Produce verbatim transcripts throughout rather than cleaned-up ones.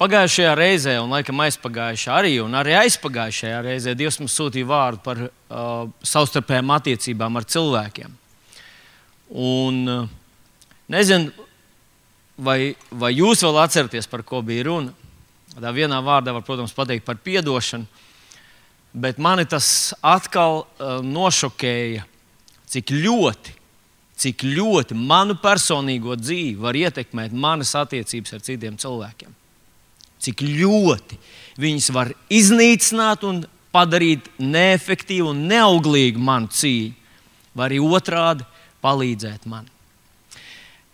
Pagājušajā reizē, un laikam aizpagājušajā arī, un arī aizpagājušajā reizē Dievs mums sūtīja vārdu par uh, savstarpējām attiecībām ar cilvēkiem. Un uh, nezinu, vai, vai jūs vēl atceraties, par ko bija runa. Tā vienā vārdā var, protams, pateikt par piedošanu, bet mani tas atkal uh, nošokēja, cik ļoti, cik ļoti manu personīgo dzīvi var ietekmēt manas attiecības ar citiem cilvēkiem. Cik ļoti viņas var iznīcināt un padarīt neefektīvu un neauglīgu manu cīņu, vai arī otrādi palīdzēt man.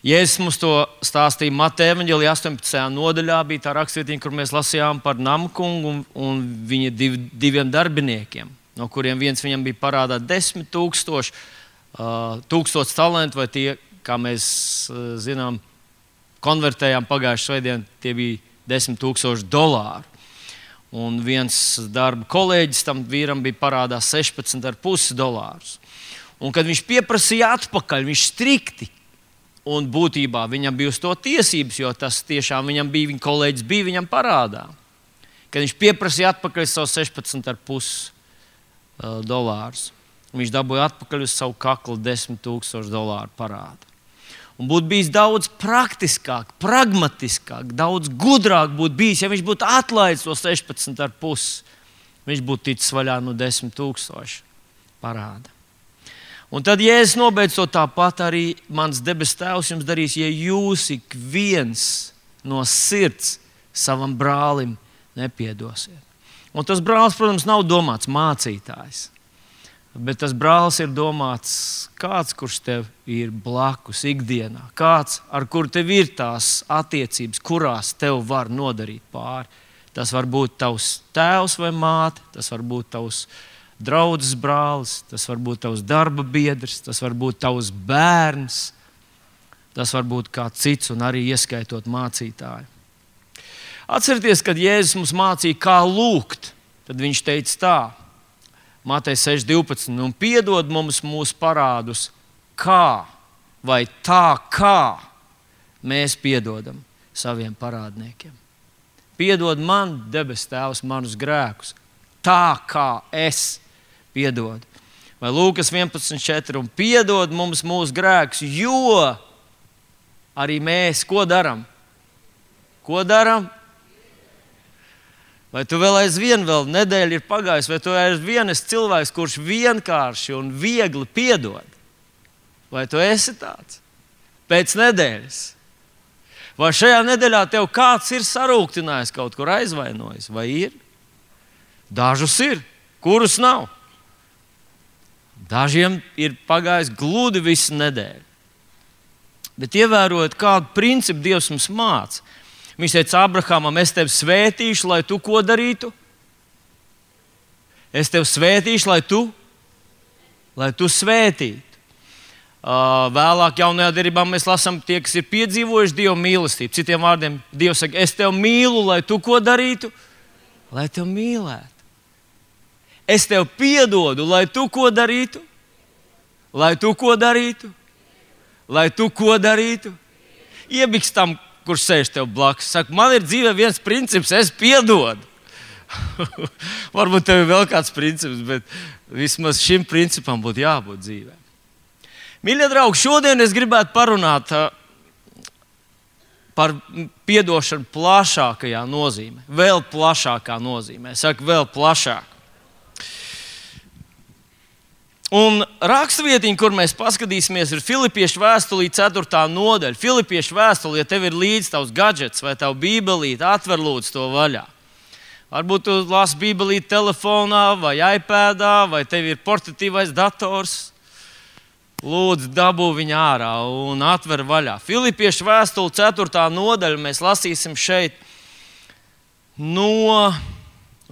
Jēzus mums to stāstīja Mateja evaņģēlijā astoņpadsmitajā nodaļā, bija tā rakstvietiņa, kur mēs lasījām par Namkungu un, un viņa div, diviem darbiniekiem, no kuriem viens viņam bija parādā desmit tūkstoši, uh, tūkstoši talantu, vai tie, kā mēs uh, zinām, konvertējām pagājušajā svētdien, tie bija desmit tūkstoši dolāru. Un viens darba kolēģis tam vīram bija parādā sešpadsmit ar pusi dolārus. Un kad viņš pieprasīja atpakaļ, viņš strikti, un būtībā viņam bija uz to tiesības, jo tas tiešām viņam bija, viņa kolēģis bija viņam parādā. Kad viņš pieprasīja atpakaļ savu sešpadsmit ar pusi uh, dolārus, viņš dabūja atpakaļ uz savu kaklu desmit tūkstoši dolāru parādu. Un būtu bijis daudz praktiskāk, pragmatiskāk, daudz gudrāk būtu bijis, ja viņš būtu atlaidis to sešpadsmit ar pusi. Viņš būtu ticis vaļā no desmit tūkstoši parāda. Un tad Jēzus nobeidz to tāpat arī mans debes Tēvs jums darīs, ja jūs ik viens no sirds savam brālim nepiedosiet. Un tas brālis, protams, nav domāts mācītājs. Bet tas brālis ir domāts kāds, kurš tev ir blakus ikdienā. Kāds, ar kuru tev ir tās attiecības, kurās tev var nodarīt pāri. Tas var būt tavs tēvs vai māte, tas var būt tavs draudzes brālis, tas var būt tavs darba biedrs, tas var būt tavs bērns, tas var būt kāds cits un arī ieskaitot mācītāju. Atcerieties, kad Jēzus mums mācīja, kā lūgt, tad viņš teica tā. Mateja seši divpadsmit, un piedod mums mūsu parādus, kā vai tā, kā mēs piedodam saviem parādniekiem. Piedod man, debes Tēvs, manus grēkus, tā kā es piedodu. Vai Lūkas vienpadsmit četri, un piedod mums mūsu grēkus, jo arī mēs ko daram? Ko daram? Vai tu vēl aizvien, vēl nedēļa ir pagājusi, vai tu aizvien esi cilvēks, kurš vienkārši un viegli piedod? Vai tu esi tāds? Pēc nedēļas. Vai šajā nedēļā tev kāds ir sarūktinājis, kaut kur aizvainojis? Vai ir? Dažus ir, kurus nav. Dažiem ir pagājis gludi visu nedēļu. Bet ievērojot, kādu principu Dievs mums māca. Viņš teica Abrahamam, es tevi svētīšu, lai tu ko darītu? Es tevi svētīšu, lai tu, lai tu svētītu. Uh, vēlāk jaunajā derībā mēs lasām tie, kas ir piedzīvojuši Dieva mīlestību. Citiem vārdiem, Dievs saka, es tevi mīlu, lai tu ko darītu? Lai tevi mīlētu. Es tevi piedodu, lai tu ko darītu? Lai tu ko darītu? Lai tu ko darītu? Iebiks tam, kurš sēž tev blakus. Saka, man ir dzīvē viens princips, es piedodu. Varbūt tev ir vēl kāds princips, bet vismaz šim principam būtu jābūt dzīvē. Mīļie draugi, šodien es gribētu parunāt uh, par piedošanu plašākajā nozīmē. Vēl plašākā nozīmē. Saka, vēl plašāk. Un rakstvietiņa, kur mēs paskatīsimies, ir Filipiešu vēstulī ceturtā nodaļa. Filipiešu vēstulī, ja tev ir līdz tavs gadžets vai tavu bībelīti, atver lūdzu to vaļā. Varbūt tu lasi bībelīti telefonā vai iPadā, vai tev ir portatīvais dators. Lūdzu, dabū viņu ārā un atver vaļā. Filipiešu vēstuli ceturtā nodaļa mēs lasīsim šeit no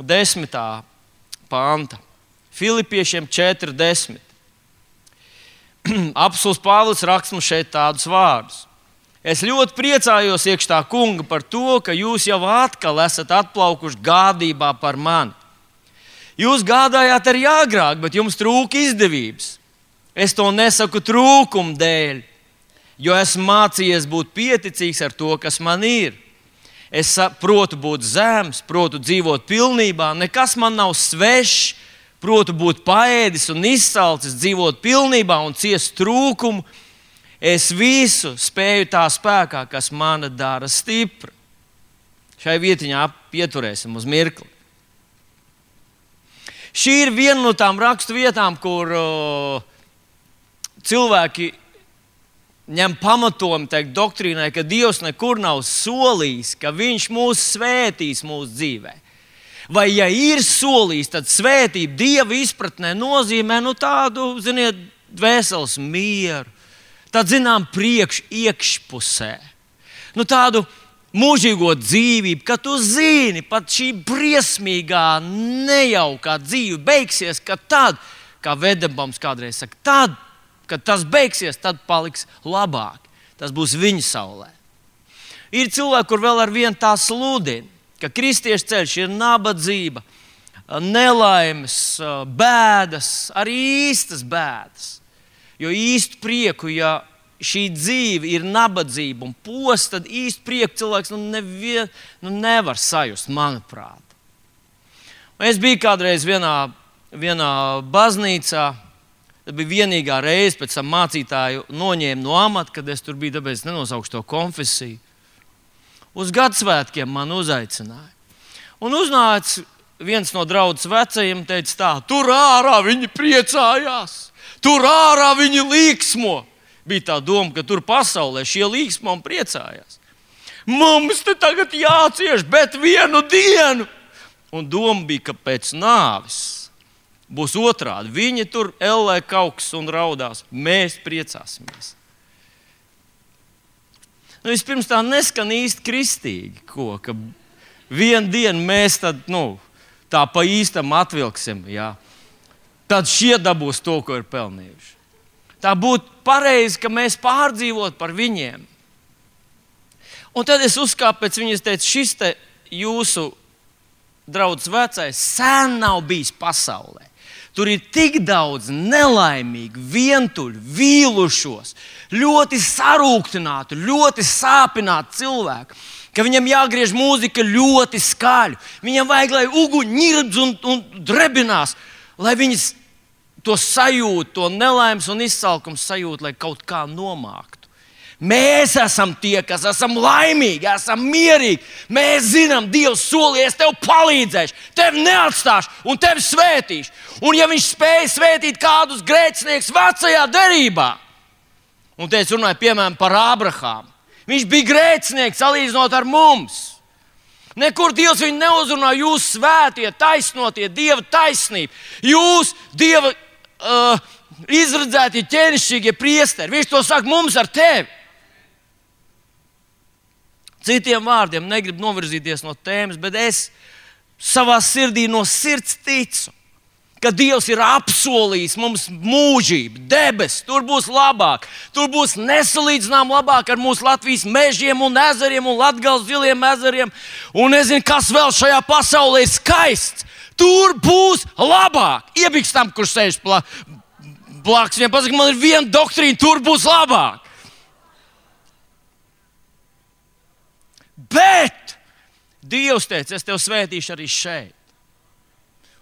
desmitā panta. Filipiešiem četri desmit. Apostols Pāvils raksta mums šeit tādus vārdus. Es ļoti priecājos iekš tā kunga par to, ka jūs jau atkal esat atplaukuši gādībā par mani. Jūs gādājāt arī agrāk, bet jums trūka izdevības. Es to nesaku trūkumu dēļ, jo esmu mācījies būt pieticīgs ar to, kas man ir. Es protu būt zems, protu dzīvot pilnībā, nekas man nav svešs, protu būt paēdis un izsalcis, dzīvot pilnībā un ciest trūkumu. Es visu spēju tā spēkā, kas mani dara stipru. Šai vietiņā pieturēsim uz mirkli. Šī ir viena no tām rakstu vietām, kur uh, cilvēki ņem pamatojumu teikt doktrīnai, ka Dievs nekur nav solījis, ka Viņš mūs svētīs mūsu dzīvē. Vai ja ir solījis, tad svētība Dieva izpratnē nozīmē nu, tādu, ziniet, dvēseles mieru, tādu, zinām, priekš iekšpusē. Nu, tādu mūžīgo dzīvību, ka tu zini, pat šī briesmīgā, nejaukā dzīve beigsies, ka tad, kā Vedebams kādreiz saka, tad, kad tas beigsies, tad paliks labāk. Tas būs viņa saulē. Ir cilvēki, kur vēl ar vienu tā sludina, ka kristiešu ceļš ir nabadzība, nelaimes, bēdas, arī īstas bēdas. Jo īstu prieku, ja šī dzīve ir nabadzība un posts, tad īstu prieku cilvēks nu, nevien, nu, nevar sajust, manuprāt. Un es biju kādreiz vienā, vienā baznīcā. Tas bija vienīgā reize, pēc tam mācītāju noņēma no amata, kad es tur biju, tāpēc nenosaukšu to konfesiju. Uz Gadasvētkiem man uzaicināja. Un uznāca viens no draudzes vecajiem, teica tā, tur ārā viņi priecājās, tur ārā viņi līksmo. Bija tā doma, ka tur pasaulē šie līksmo un priecājās. Mums te tagad jācieš, bet vienu dienu. Un doma bija, ka pēc nāves būs otrādi. Viņi tur ellē kauks un raudās. Mēs priecāsimies. Nu, vispirms tā neskan īsti kristīgi, ko, ka vienu dienu mēs tad, nu, tā pa īstam atvilksim. Jā. Tad šie dabūs to, ko ir pelnījuši. Tā būtu pareizi, ka mēs pārdzīvot par viņiem. Un tad es uzkāpu pēc viņas, teicu, šis te jūsu draudzes vecais sen nav bijis pasaulē. Tur ir tik daudz nelaimīgu, vientuļu, vīlušos, ļoti sarūktinātu, ļoti sāpinātu cilvēku, ka viņam jāgriež mūzika ļoti skaļu. Viņam vajag, lai uguņi ņirdz un, un drebinās, lai viņas to sajūtu, to nelaimes un izsalkums sajūtu, lai kaut kā nomāktu. Mēs esam tie, kas esam laimīgi, esam mierīgi. Mēs zinām, Dievs solīja, es tev palīdzēšu, tevi neatstāšu un tevi svētīšu. Un ja viņš spēja svētīt kādus grēcinieks vecajā derībā, un te es runāju piemēram par Ābrahāmu, viņš bija grēcinieks salīdzinot ar mums. Nekur Dievs viņu neuzrunā, jūs svētie, taisnotie, Dieva taisnība. Jūs, Dieva uh, izredzētie, ķēnišķīgie priesteri. Viņš to saka mums ar tevi. Citiem vārdiem negribu novirzīties no tēmas, bet es savā sirdī no sirds ticu, ka Dievs ir apsolījis mums mūžību, debes, tur būs labāk, tur būs nesalīdzinām labāk ar mūsu Latvijas mežiem un ezeriem un Latgales ziliem ezeriem. Un nezinu, kas vēl šajā pasaulē ir skaists. Tur būs labāk. Iebikstam, kurš sēž blakus, viņam pasaka, man ir viena doktrīna, tur būs labāk. Bet Dievs teica, es tev svētīšu arī šeit.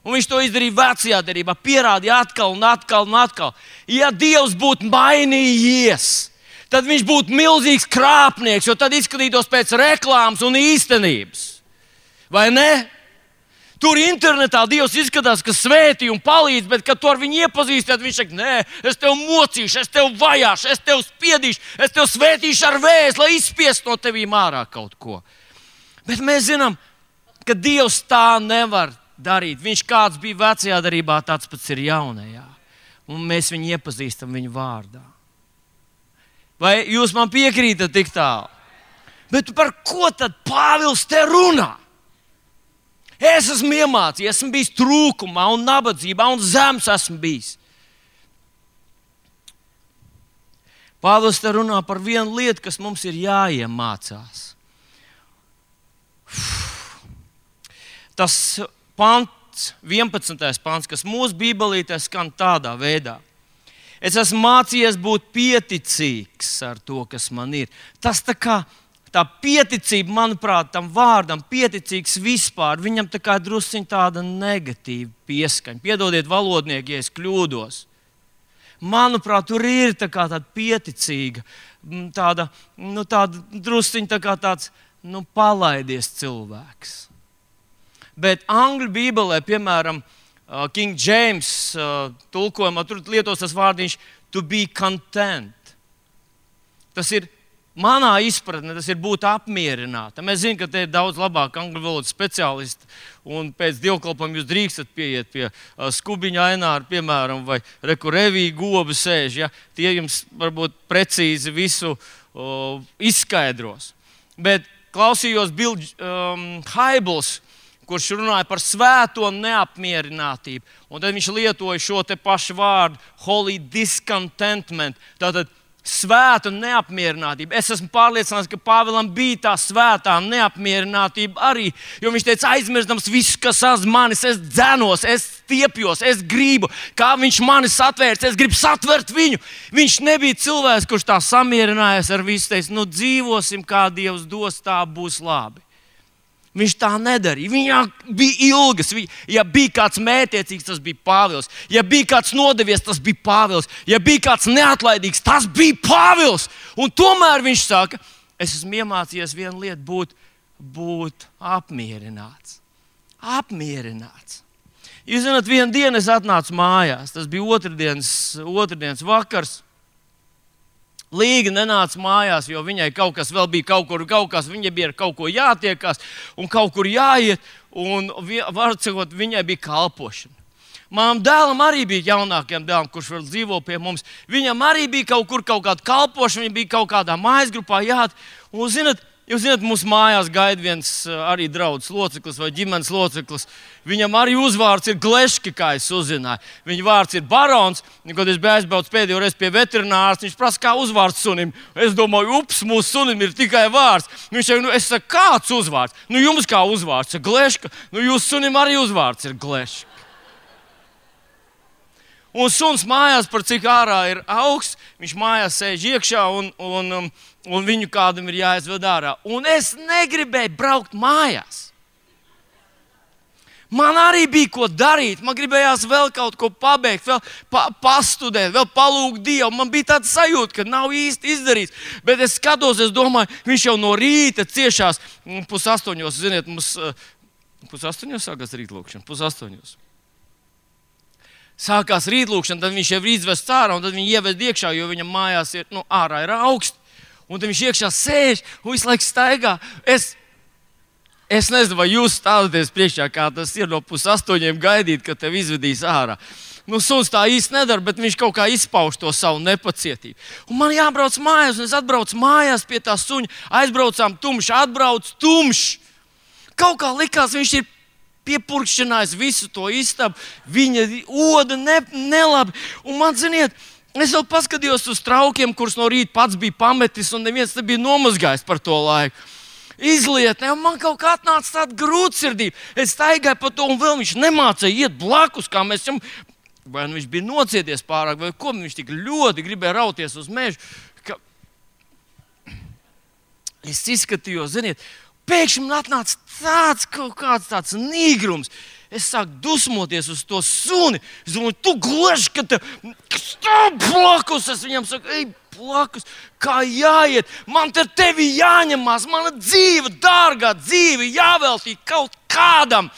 Un viņš to izdarīja vecajā derībā, pierādīja atkal un atkal un atkal. Ja Dievs būtu mainījies, tad viņš būtu milzīgs krāpnieks, jo tad izskatītos pēc reklāmas un īstenības. Vai ne? Tur internetā Dievs izskatās, ka svētī un palīdz, bet kad tu ar viņu iepazīsti, tad viņš saka, nē, es tev mocīšu, es tev vajāšu, es tev spiedīšu, es tev svētīšu ar vēzi, lai izspiestu no tevīm ārā kaut ko. Bet mēs zinām, ka Dievs tā nevar darīt. Viņš kāds bija vecajā derībā, tāds pats ir jaunajā. Un mēs viņu iepazīstam viņu vārdā. Vai jūs man piekrītat tik tālu? Bet par ko tad Pāvils te runā? Es esmu iemācījies, esmu bijis trūkumā un nabadzībā un zems esmu bijis. Pāvils te runā par vienu lietu, kas mums ir jāiemācās. Tas pants, vienpadsmitais pants, kas mūsu bībelītē skan tādā veidā. Es esmu mācījies būt pieticīgs ar to, kas man ir. Tas tā kā tā pieticība, manuprāt, tam vārdam, pieticīgs vispār, viņam tā kā drusciņ tāda negatīva pieskaņa. Piedodiet, valodnieki, ja es kļūdos. Manuprāt, tur ir tā kā tāda pieticīga, tāda, nu, tāda drusciņ tā kā tāds, nu, palaidies cilvēks. Bet angļu bībelē, piemēram, King James tulkojumā, tur lietos tas vārdiņš to be content. Tas ir manā izpratnē, tas ir būt apmierinātam. Es zinu, ka te ir daudz labāk angļu valodas speciālisti, un pēc dievkalpojuma jūs drīkstat pieiet pie uh, Skubiņa Aināra, piemēram, vai Reku Revī Goba sēž. Ja? Tie jums varbūt precīzi visu uh, izskaidros. Bet klausījos Bill um, Hybels, kurš runāja par svēto neapmierinātību. Un tad viņš lietoja šo te pašu vārdu, holy discontentment. Tātad svēta neapmierinātība. Es esmu pārliecināts, ka Pāvilam bija tā svētā neapmierinātība arī. Jo viņš teica, aizmirstams visu, kas aiz manis, es dzenos, es stiepjos, es gribu, kā viņš mani satvērts, es gribu satvert viņu. Viņš nebija cilvēks, kurš tā samierinājās ar visu, teica, nu dzīvosim, kā Dievs dos, tā būs labi. Viņš tā nedarīja. Viņam bija ilgas. Ja bija kāds mētiecīgs, tas bija Pāvils. Ja bija kāds nodevies, tas bija Pāvils. Ja bija kāds neatlaidīgs, tas bija Pāvils. Un tomēr viņš saka, es esmu iemācījies vienu lietu, būt, būt apmierināts. Apmierināts. Jūs zināt, vienu dienu es atnācu mājās. Tas bija otrdienas, otrdienas vakars. Līga nenāca mājās, jo viņai kaut kas vēl bija kaut kur, kaut kas, viņai bija ar kaut ko jātiekās un kaut kur jāiet, un var sakot, viņai bija kalpošana. Manam dēlam arī bija jaunākajam dēlam, kurš vēl dzīvo pie mums. Viņam arī bija kaut kur kaut kāda kalpošana, viņa bija kaut kādā mājas grupā jāiet, un zināt, Jūs zināt, mūsu mājās gaida viens arī draugs loceklis vai ģimenes loceklis. Viņam arī uzvārds ir Gleški, kā es uzzināju. Viņa vārds ir Barons. Kad es biju aizbraucis pēdējo reizi pie veterinārs, viņš prasa, kā uzvārds sunim. Es domāju, ups, mūsu sunim ir tikai vārds. Viņš saka, nu, es saku, kāds uzvārds? Nu, jums kā uzvārds ir Gleška. Nu, jūsu sunim arī uzvārds ir Gleška. Un suns mājās, par cik ārā ir augsts, viņš mājās sēž iekšā un, un, un viņu kādam ir jāizved ārā. Un es negribēju braukt mājās. Man arī bija ko darīt, man gribējās vēl kaut ko pabeigt, vēl pa, pastudēt, vēl palūgt Dievu. Man bija tāda sajūta, ka nav īsti izdarīts. Bet es skatos, es domāju, viņš jau no rīta ciešās pusastoņos, ziniet, mums pusastoņos sākās rītlūkšana, pusastoņos. Sākās rītlūkšana, tad viņš jau ir izvests ārā, un tad viņu ieved iekšā, jo viņam mājās ir, nu, ārā ir augsts. Un tad viņš iekšā sēž un visu laiku staigā. Es, es nezinu, vai jūs stāvaties priekšā, kā tas ir no pusastoņiem gaidīt, kad tev izvedīs ārā. Nu, suns tā īsti nedara, bet viņš kaut kā izpauž to savu nepacietību. Un man jābrauc mājās, un es atbraucu mājās pie tā suņa. Aizbraucām tumšs, atbrauc tumšs. Kaut kā likās, viņš ir piepurkšķinājis visu to istabu, viņa oda ne, nelabi. Un man, ziniet, es vēl paskatījos uz traukiem, kurus no rīta pats bija pametis, un neviens nebija nomazgājis par to laiku. Izlietnē, un man kaut kā atnāca tāda grūtsirdība. Es staigāju pa to, un vēl viņš nemācīja iet blakus, kā mēs viņam, vai nu viņš bija nocieties pārāk, vai ko, viņš tik ļoti gribēja rauties uz mežu. Ka... Es izskatījos, ziniet, pēkšņi man atnāca tāds kaut kāds tāds nīgrums. Es sāku dusmoties uz to suni. Es domāju, tu Gleši, ka te stāv blakus. Es viņam saku, ej blakus, kā jāiet. Man te tevi jāņemās. Mana dzīve, dārgā dzīve, jāveltī kaut kādam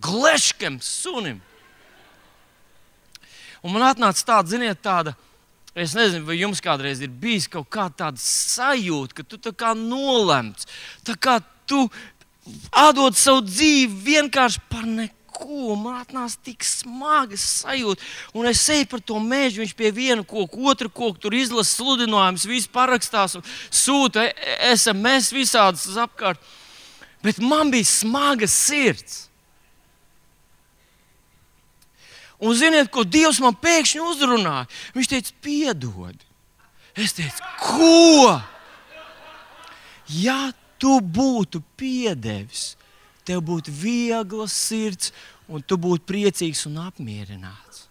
Gleškam sunim. Un man atnāca tāda, ziniet, tāda, es nezinu, vai jums kādreiz ir bijis kaut kāda tāda sajūta, ka tu tā kā nolemts, tā kā tu atdod savu dzīvi vienkārši par neko. Man atnāca tik smaga sajūta. Un es eju par to mežu, viņš pie viena koka, otra koka, tur izlasa sludinājumus, viss parakstās un sūta es em es visādas apkārt. Bet man bija smaga sirds. Un ziniet, ko Dievs man pēkšņi uzrunāja? Viņš teica, piedod. Es teicu, ko? Ja tu būtu piedevis, tev būtu viegla sirds, un tu būtu priecīgs un apmierināts.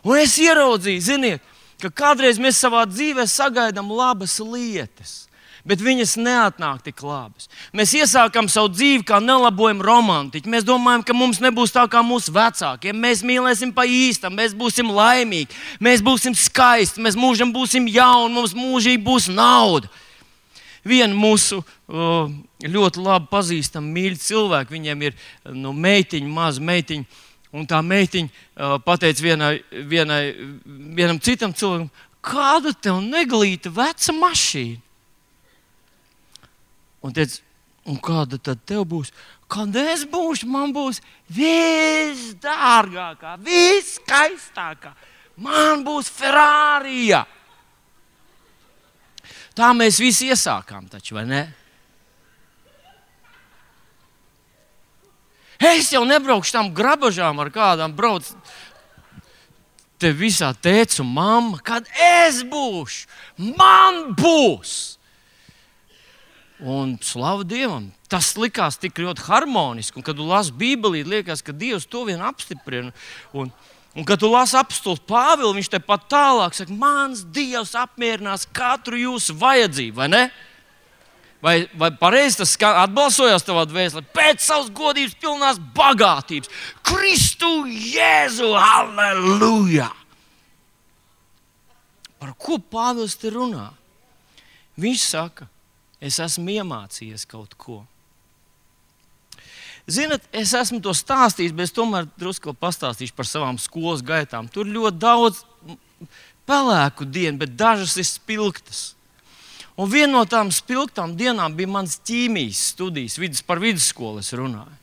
Un es ieraudzīju, ziniet, ka kādreiz mēs savā dzīvē sagaidām labas lietas. bet viņas neatnāk tik labas. Mēs iesākam savu dzīvi kā nelabojumu romantiķi. Mēs domājam, ka mums nebūs tā kā mūsu vecākiem. Mēs mīlēsim pa īstam, mēs būsim laimīgi, mēs būsim skaisti, mēs mūžam būsim jauni, mums mūžīgi būs nauda. Viena mūsu uh, ļoti labi pazīstama mīļa cilvēka, viņiem ir nu, meitiņa, maza meitiņa, un tā meitiņa uh, pateica vienai, vienai, vienam citam cilvēkam, kāda tev neglīta veca mašīna? Un teica, un kāda tad tev būs? Kad es būšu, man būs visdārgākā, viskaistākā. Man būs Ferrarija. Tā mēs visi iesākām taču, vai ne? Es jau nebraukšu tam grabažām ar kādām brauc. Te visā tēts un mamma, kad es būšu, man būs. Un slavu Dievam, tas likās tik ļoti harmoniski. Un, kad tu lasi Bībelī, liekas, ka Dievs to vien apstiprina. Un, un kad tu lasi apostuli Pāvilu, viņš te pat tālāk saka, mans Dievs apmierinās katru jūsu vajadzību, vai ne? Vai, vai pareizi tas atbalsojās tavā dvēselē? Pēc savas godības pilnās bagātības. Kristu Jēzu, halleluja! Par ko Pāvils te runā? Viņš saka, es esmu iemācījies kaut ko. Zinat, es esmu to stāstījis, bet es tomēr drusku pastāstīšu par savām skolas gaitām. Tur ļoti daudz pelēku dienu, bet dažas ir spilgtas. Un viena no tām spilgtām dienām bija mans ķīmijas studijas, vidus, par vidusskolu es runāju.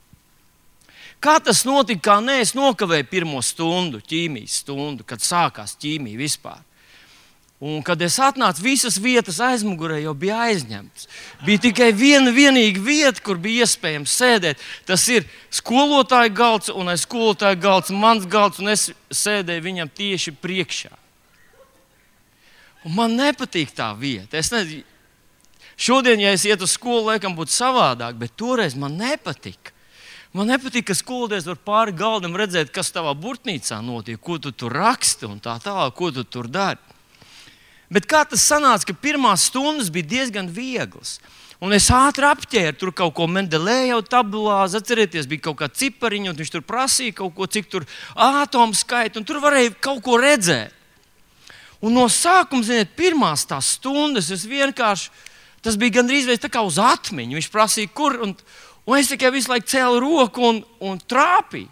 Kā tas notika, kā ne, es nokavēju pirmo stundu, ķīmijas stundu, kad sākās ķīmija vispār. Un, kad es atnācu, visas vietas aizmugurē jau bija aizņemtas. Bija tikai viena vienīga vieta, kur bija iespējams sēdēt. Tas ir skolotāja galds, un aiz skolotāja galds mans galds, un es sēdēju viņam tieši priekšā. Un man nepatīk tā vieta. Es nezinu, šodien, ja es ietu uz skolu, laikam būtu savādāk, bet toreiz man nepatika. Man nepatīk, ka skolotājs var pāri galdam redzēt, kas tavā burtnīcā notiek, ko tu tur raksti un tā tālāk, ko tu tur dari. Bet kā tas sanāca, ka pirmās stundas bija diezgan vieglas. Un es ātri apķēru tur kaut ko Mendelēju tabulāzi, atcerieties, bija kaut kā cipariņa, un viņš tur prasīja kaut ko, cik tur ātomu skaita, un tur varēja kaut ko redzēt. Un no sākuma, ziniet, pirmās tās stundas, es vienkārši, tas bija gandrīz tā kā uz atmiņu. Viņš prasīja, kur, un, un es tikai visu laiku cēlu roku un, un trāpīju.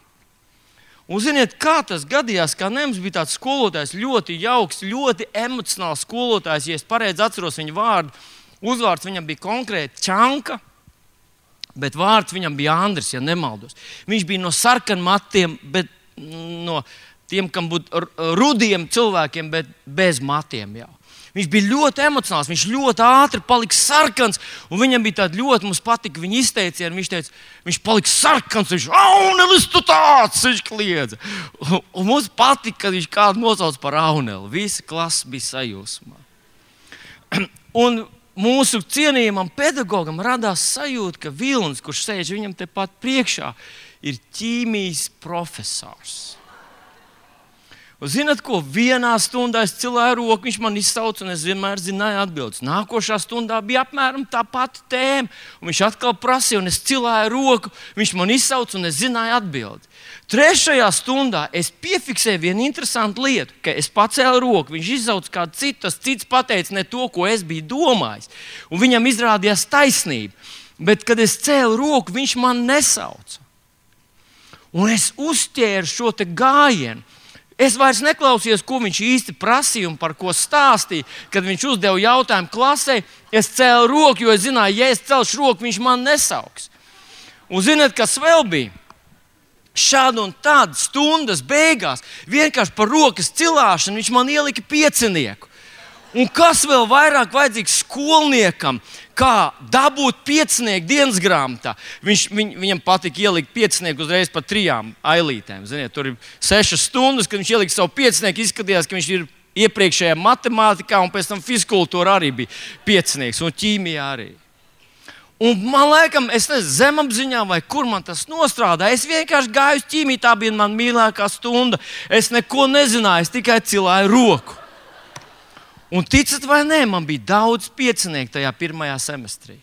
Un ziniet, kā tas gadījās, kā Nems bija tāds skolotājs, ļoti jauks, ļoti emocionāls skolotājs, ja es pareizi atceros viņa vārdu. Uzvārds viņam bija konkrēti Čanka, bet vārds viņam bija Andris, ja nemaldos. Viņš bija no sarkanmatiem, bet no tiem, kam būtu rudiem cilvēkiem, bet bez matiem jau. Viņš bija ļoti emocionāls, viņš ļoti ātri palika sarkans, un viņam bija tāda ļoti, mums patika viņa izteicieni, viņš teica, viņš palika sarkans, viņš, Aunelis, tu tāds, viņš kliedza. Un, un mums patika, kad viņš kādu nosauc par Auneli, visa klasa bija sajūsmā. Un mūsu cienījamam pedagogam radās sajūta, ka Vilnis, kurš sēž viņam tepat priekšā, ir ķīmijas profesors. Un zināt ko, vienā stundā es cilāju roku, viņš man izsauca, un es vienmēr zināju atbildes. Nākošā stundā bija apmēram tā pati tēma, un viņš atkal prasīja, un es cilāju roku, viņš man izsauca, un es zināju atbildi. Trešajā stundā es piefiksēju vienu interesantu lietu, ka es pacēlu roku, viņš izsauca kādu citu, tas cits pateica ne to, ko es biju domājis, un viņam izrādījās taisnība. Bet, kad es cēlu roku, viņš man nesauca. Un es uzķēru šo te gājienu. Es vairs neklausījos, ko viņš īsti prasīja un par ko stāstīja. Kad viņš uzdeva jautājumu klasē, es cēlu roku, jo es zināju, ja es celšu roku, viņš man nesauks. Un ziniet, kas vēl bija? Šādu un tādu stundas beigās, vienkārši par rokas cilāšanu, viņš man ielika piecinieku. Un kas vēl vairāk vajadzīgs skolniekam, kā dabūt piecinieku dienas grāmatā? Viņš, viņ, viņam patika ielikt piecinieku uzreiz pa trijām ailītēm. Ziniet, tur ir sešas stundas, kad viņš ielika savu piecinieku, izskatījās, ka viņš ir iepriekšējā matemātikā, un pēc tam fizkultūra arī bija piecinieks, un ķīmijā arī. Un man laikam, es nezinu, zemapziņā vai kur man tas nostrādā, es vienkārši gāju uz ķīmiju, tā bija man mīļākā stunda. Es neko nezināju, es tikai cilāju roku. Un ticat vai nē, man bija daudz piecinieku tajā pirmajā semestrī.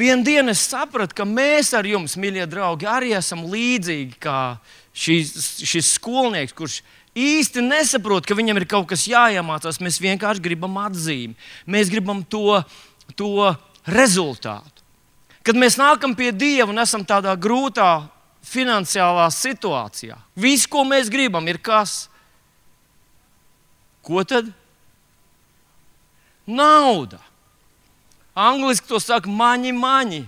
Vienu dienu es sapratu, ka mēs ar jums, mīļie draugi, arī esam līdzīgi kā šis, šis skolnieks, kurš īsti nesaprot, ka viņam ir kaut kas jāiemācās. Mēs vienkārši gribam atzīmi. Mēs gribam to, to rezultātu. Kad mēs nākam pie Dieva un esam tādā grūtā finansiālā situācijā, viss, ko mēs gribam, ir kas? Ko tad? Nauda. Angliski to saka maņi, maņi.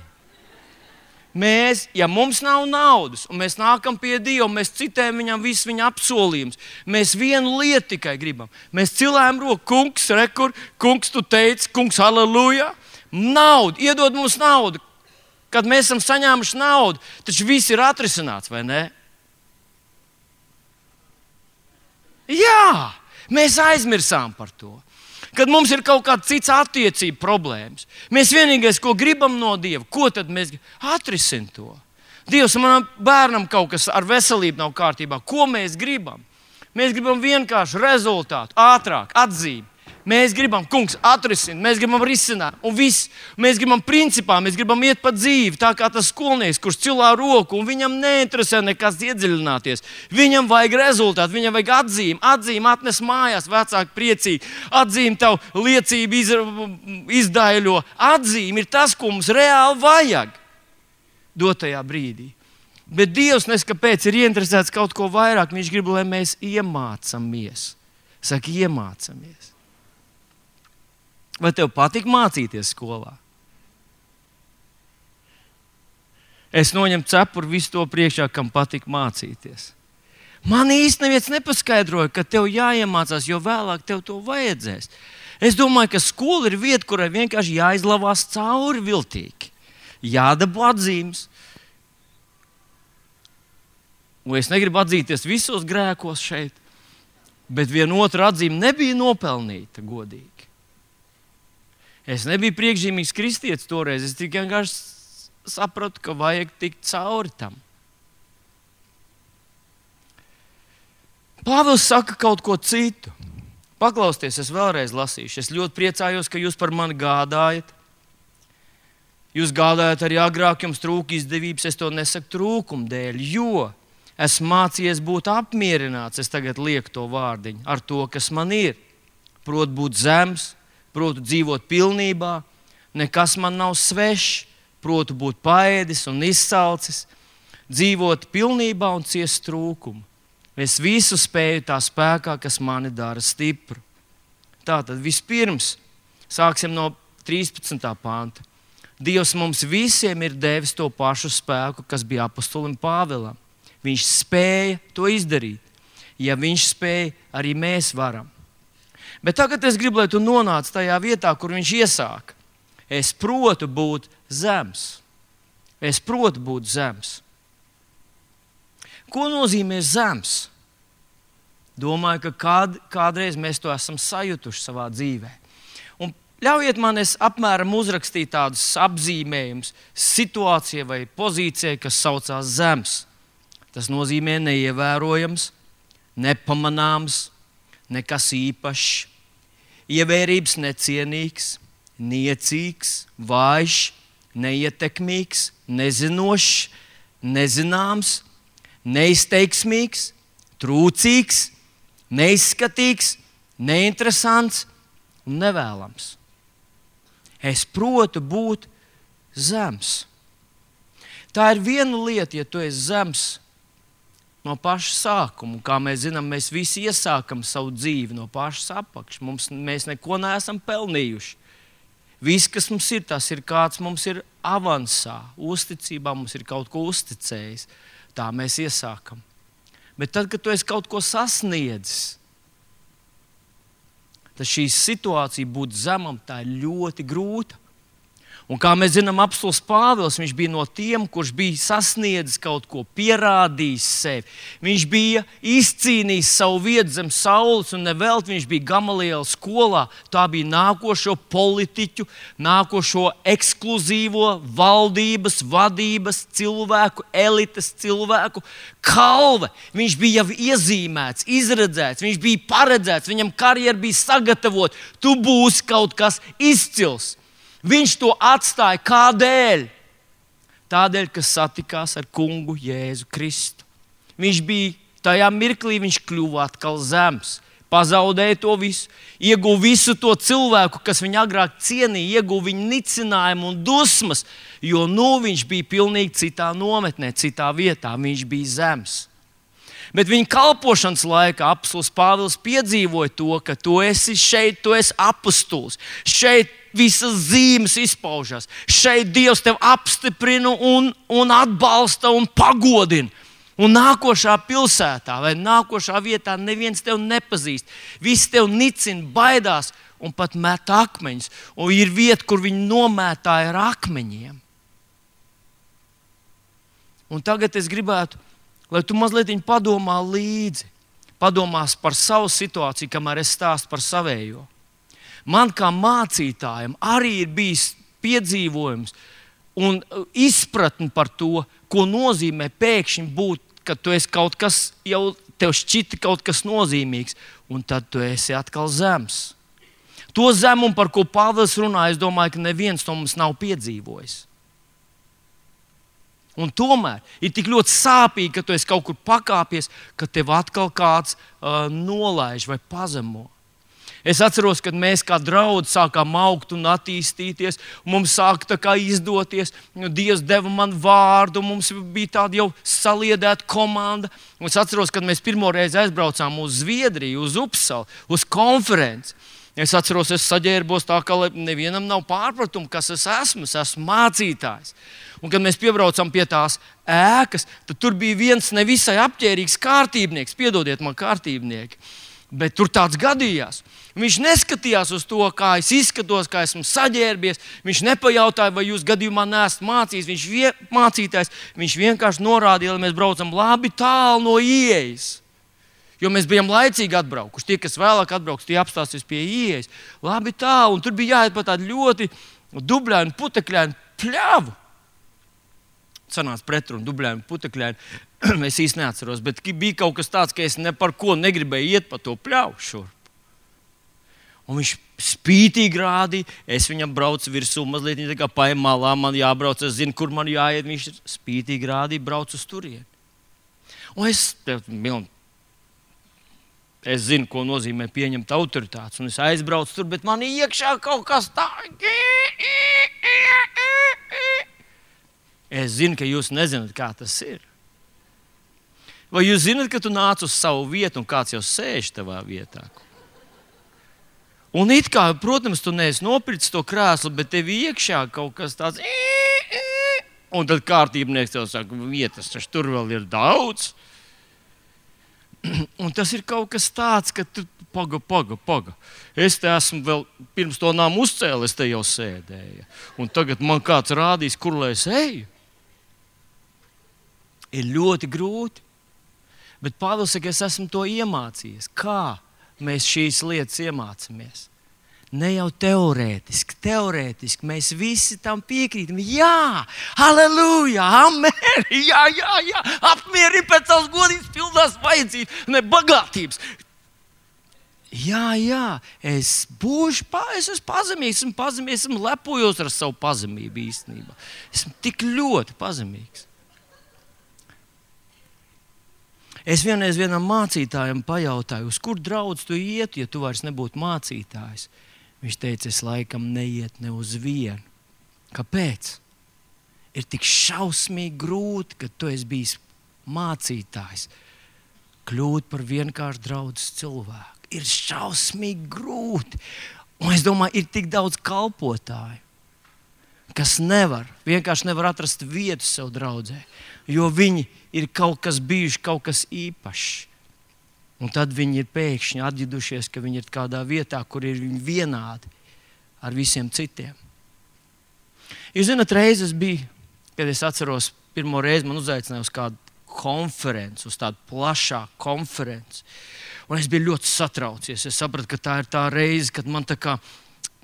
Mēs, ja mums nav naudas, un mēs nākam pie Dieva, mēs citējam viņam visus viņa apsolījumus, mēs vienu lietu tikai gribam. Mēs cilājam roku, kungs, rekur, kungs, tu teici, kungs, halleluja. Naudu, iedod mums naudu. Kad mēs esam saņēmuši naudu, taču viss ir atrisināts, vai ne? Jā, mēs aizmirsām par to. Kad mums ir kaut kāda cits attiecība problēmas, mēs vienīgais, ko gribam no Dieva, ko tad mēs atrisinām to? Dievs, manam bērnam kaut kas ar veselību nav kārtībā. Ko mēs gribam? Mēs gribam vienkārši rezultātu, ātrāk, atzīmi. Mēs gribam, kungs, atrisināt, mēs gribam risināt, un viss. Mēs gribam principā, mēs gribam iet pa dzīvi, tā kā tas skolnieks, kurš cilā roku, un viņam neinteresē nekas iedziļināties. Viņam vajag rezultātu, viņam vajag atzīmi. Atzīmi atnes mājās, vecāki priecīgi. Atzīmi tavu liecību iz, izdaiļo. Atzīmi ir tas, ko mums reāli vajag dotajā brīdī. Bet Dievs neskapēc ir ieinteresēts kaut ko vairāk. Viņš grib, lai mēs iemācamies. Saka, iemācamies. Vai tev patīk mācīties skolā? Es noņemu cepuri visu to priekšā, kam patīk mācīties. Man īsti neviens nepaskaidroja, ka tev jāiemācās, jo vēlāk tev to vajadzēs. Es domāju, ka skola ir vieta, kurai vienkārši jāizlavās cauri viltīgi. Jādabū atzīmes. Un es negribu atzīties visos grēkos šeit, bet viena otra atzīme nebija nopelnīta godīgi. Es nebiju priekšzīmīgs kristietis toreiz. Es tikai vienkārši sapratu, ka vajag tikt cauri tam. Pāvils saka kaut ko citu. Paklausieties, es vēlreiz lasīšu. Es ļoti priecājos, ka jūs par mani gādājat. Jūs gādājat arī agrāk, jums trūka izdevības. Es to nesaku trūkumu dēļ, jo esmu mācījies būt apmierināts. Es tagad lieku to vārdiņu ar to, kas man ir. Proti būt zems. Proti dzīvot pilnībā, nekas man nav svešs, proti būt paēdis un izsalcis, dzīvot pilnībā un ciest trūkumu. Es visu spēju tā spēkā, kas mani dara stipru. Tātad vispirms sāksim no trīspadsmitā panta. Dievs mums visiem ir devis to pašu spēku, kas bija apostolim Pāvilam. Viņš spēja to izdarīt. Ja viņš spēja, arī mēs varam. Bet tagad es gribu, lai tu nonāc tajā vietā, kur viņš iesāka. Es protu būt zems. Es protu būt zems. Ko nozīmē zems? Domāju, ka kād, kādreiz mēs to esam sajutuši savā dzīvē. Un ļaujiet man es apmēram uzrakstīt tādus apzīmējumus situācijai vai pozīcijai, kas saucās zems. Tas nozīmē neievērojams, nepamanāms, nekas īpašs, ievērības necienīgs, niecīgs, vājš, neietekmīgs, nezinošs, nezināms, neizteiksmīgs, trūcīgs, neizskatīgs, neinteresants un nevēlams. Es protu būt zems. Tā ir viena lieta, ja tu esi zems no paša sākuma. Kā mēs zinām, mēs visi iesākam savu dzīvi no pašas apakšas. Mums, mēs neko neesam pelnījuši. Viss, kas mums ir, tas ir kāds mums ir avansā, uzticībā, mums ir kaut ko uzticējis. Tā mēs iesākam. Bet tad, kad tu esi kaut ko sasniedzis, tad šī situācija būt zemam, tā ir ļoti grūta. Un kā mēs zinām, apostols Pāvils, viņš bija no tiem, kurš bija sasniedzis kaut ko, pierādījis sevi. Viņš bija izcīnījis savu vietu zem saules, un nevelti viņš bija Gamaliela skolā. Tā bija nākošo politiķu, nākošo ekskluzīvo valdības, vadības cilvēku, elites cilvēku kalve. Viņš bija jau iezīmēts, izredzēts, viņš bija paredzēts, viņam karjera bija sagatavota. Tu būsi kaut kas izcils. Viņš to atstāja kādēļ? Tādēļ, ka satikās ar kungu Jēzu Kristu. Viņš bija tajā mirklī, viņš kļuva atkal zems, pazaudēja to visu, ieguva visu to cilvēku, kas viņu agrāk cienīja, ieguva viņa nicinājumu un dusmas, jo nu viņš bija pilnīgi citā nometnē, citā vietā, viņš bija zems. Bet viņa kalpošanas laikā apostols Pāvils piedzīvoja to, ka tu esi šeit, tu esi apostols. Šeit visas zīmes izpaužas. Šeit Dievs tevi apstiprina un, un atbalsta un pagodina. Un nākošā pilsētā vai nākošā vietā neviens tevi nepazīst. Visi tevi nicina, baidās un pat met akmeņus. Un ir vieta, kur viņi nomētāja ar akmeņiem. Un tagad es gribētu, lai tu mazliet padomā līdzi, padomās par savu situāciju, kamēr es stāstu par savējo. Man kā mācītājam arī ir bijis piedzīvojums un izpratne par to, ko nozīmē pēkšņi būt, kad tu esi kaut kas, jau tev šķita kaut kas nozīmīgs, un tad tu esi atkal zems. To zemumu, par ko Pāvils runā, es domāju, ka neviens to mums nav piedzīvojis. Un tomēr ir tik ļoti sāpīgi, ka tu esi kaut kur pakāpies, ka tev atkal kāds uh, nolaiž vai pazemo. Es atceros, kad mēs kā draudzi sākām augt un attīstīties, un mums sāka tā kā izdoties. Dievs deva man vārdu, mums bija tāda jau saliedēta komanda. Un es atceros, kad mēs pirmo reizi aizbraucām uz Zviedriju, uz Upsalu, uz konferenci. Es atceros, es saģērbos tā, ka nevienam nav pārpratumu, kas es esmu. Es esmu mācītājs. Un, kad mēs piebraucām pie tās ēkas, tad tur bija viens nevisai apģērbīgs kārtībnieks. Piedodiet man, kārtībnieki. Bet tur tāds gadījās. Viņš neskatījās uz to, kā es izskatos, kā esmu saģērbies. Viņš nepajautāja, vai jūs gadījumā neesat mācījis. Viņš, vie, mācītājs, viņš vienkārši norādīja, lai mēs braucam labi tālu no ieejas. Jo mēs bijām laicīgi atbraukuši. Tie, kas vēlāk atbrauks, tie apstāsies pie ieejas. Labi tālu. Un tur bija jāiet pa tādu ļoti dubļainu, putekļainu pļavu. Sanāca pretrunu, dubļainu, putekļainu. Es īsti neatceros, bet bija kaut kas tāds, ka es ne par ko negribēju iet pa to pļauju šurp. Un viņš spītīgi rādīja, es viņam braucu virsū, mazliet tā kā paiem malā, man jābrauc, es zinu, kur man jāiet. Viņš spītīgi rādīja, brauc uz turieni. Un es, es zinu, ko nozīmē pieņemt autoritātes, un es aizbraucu tur, bet man iekšā kaut kas tā. Es zinu, ka jūs nezināt, kā tas ir. Vai jūs zināt, ka tu nāc uz savu vietu un kāds jau sēž tavā vietā? Un it kā, protams, tu neesi nopircis to krēslu, bet tev iekšā kaut kas tāds. Un tad kārtībnieks tev saka, vietas taču tur vēl ir daudz. Un tas ir kaut kas tāds, ka tu paga, paga, paga. Es te esmu vēl pirms to nāmu uzcēlu, es te jau sēdēju. Un tagad man kāds rādīs, kur lai es eju. Ir ļoti grūti. Bet Pāvils saka, es esmu to iemācījies. Kā mēs šīs lietas iemācāmies? Ne jau teorētiski, teorētiski mēs visi tam piekrītam. Jā, halleluja, amen, jā, jā, jā, apmierini pēc savas godības pildās vajadzības, ne bagātības. Jā, jā, es būšu, es esmu pazemīgs, esmu pazemīgs, esmu lepojos ar savu pazemību īstenībā. Esmu tik ļoti pazemīgs. Es vienreiz vienam mācītājam pajautāju, uz kur draudz tu iet, ja tu vairs nebūtu mācītājs. Viņš teica, es laikam neiet ne uz vienu. Kāpēc? Ir tik šausmīgi grūti, ka tu esi bijis mācītājs, kļūt par vienkārši draudzes cilvēku. Ir šausmīgi grūti. Un es domāju, ir tik daudz kalpotāju, kas nevar, vienkārši nevar atrast vietu sev draudzē, jo viņi ir kaut kas bijuši, kaut kas īpašs. Un tad viņi ir pēkšņi atģidušies, ka viņi ir kādā vietā, kur ir viņi vienādi ar visiem citiem. Jūs zināt, reizes bija, kad es atceros, pirmo reizi man uzaicināja uz kādu konferenci, uz tādu plašāku konferenci. Un es biju ļoti satraucies. Es sapratu, ka tā ir tā reize, kad man tā kā,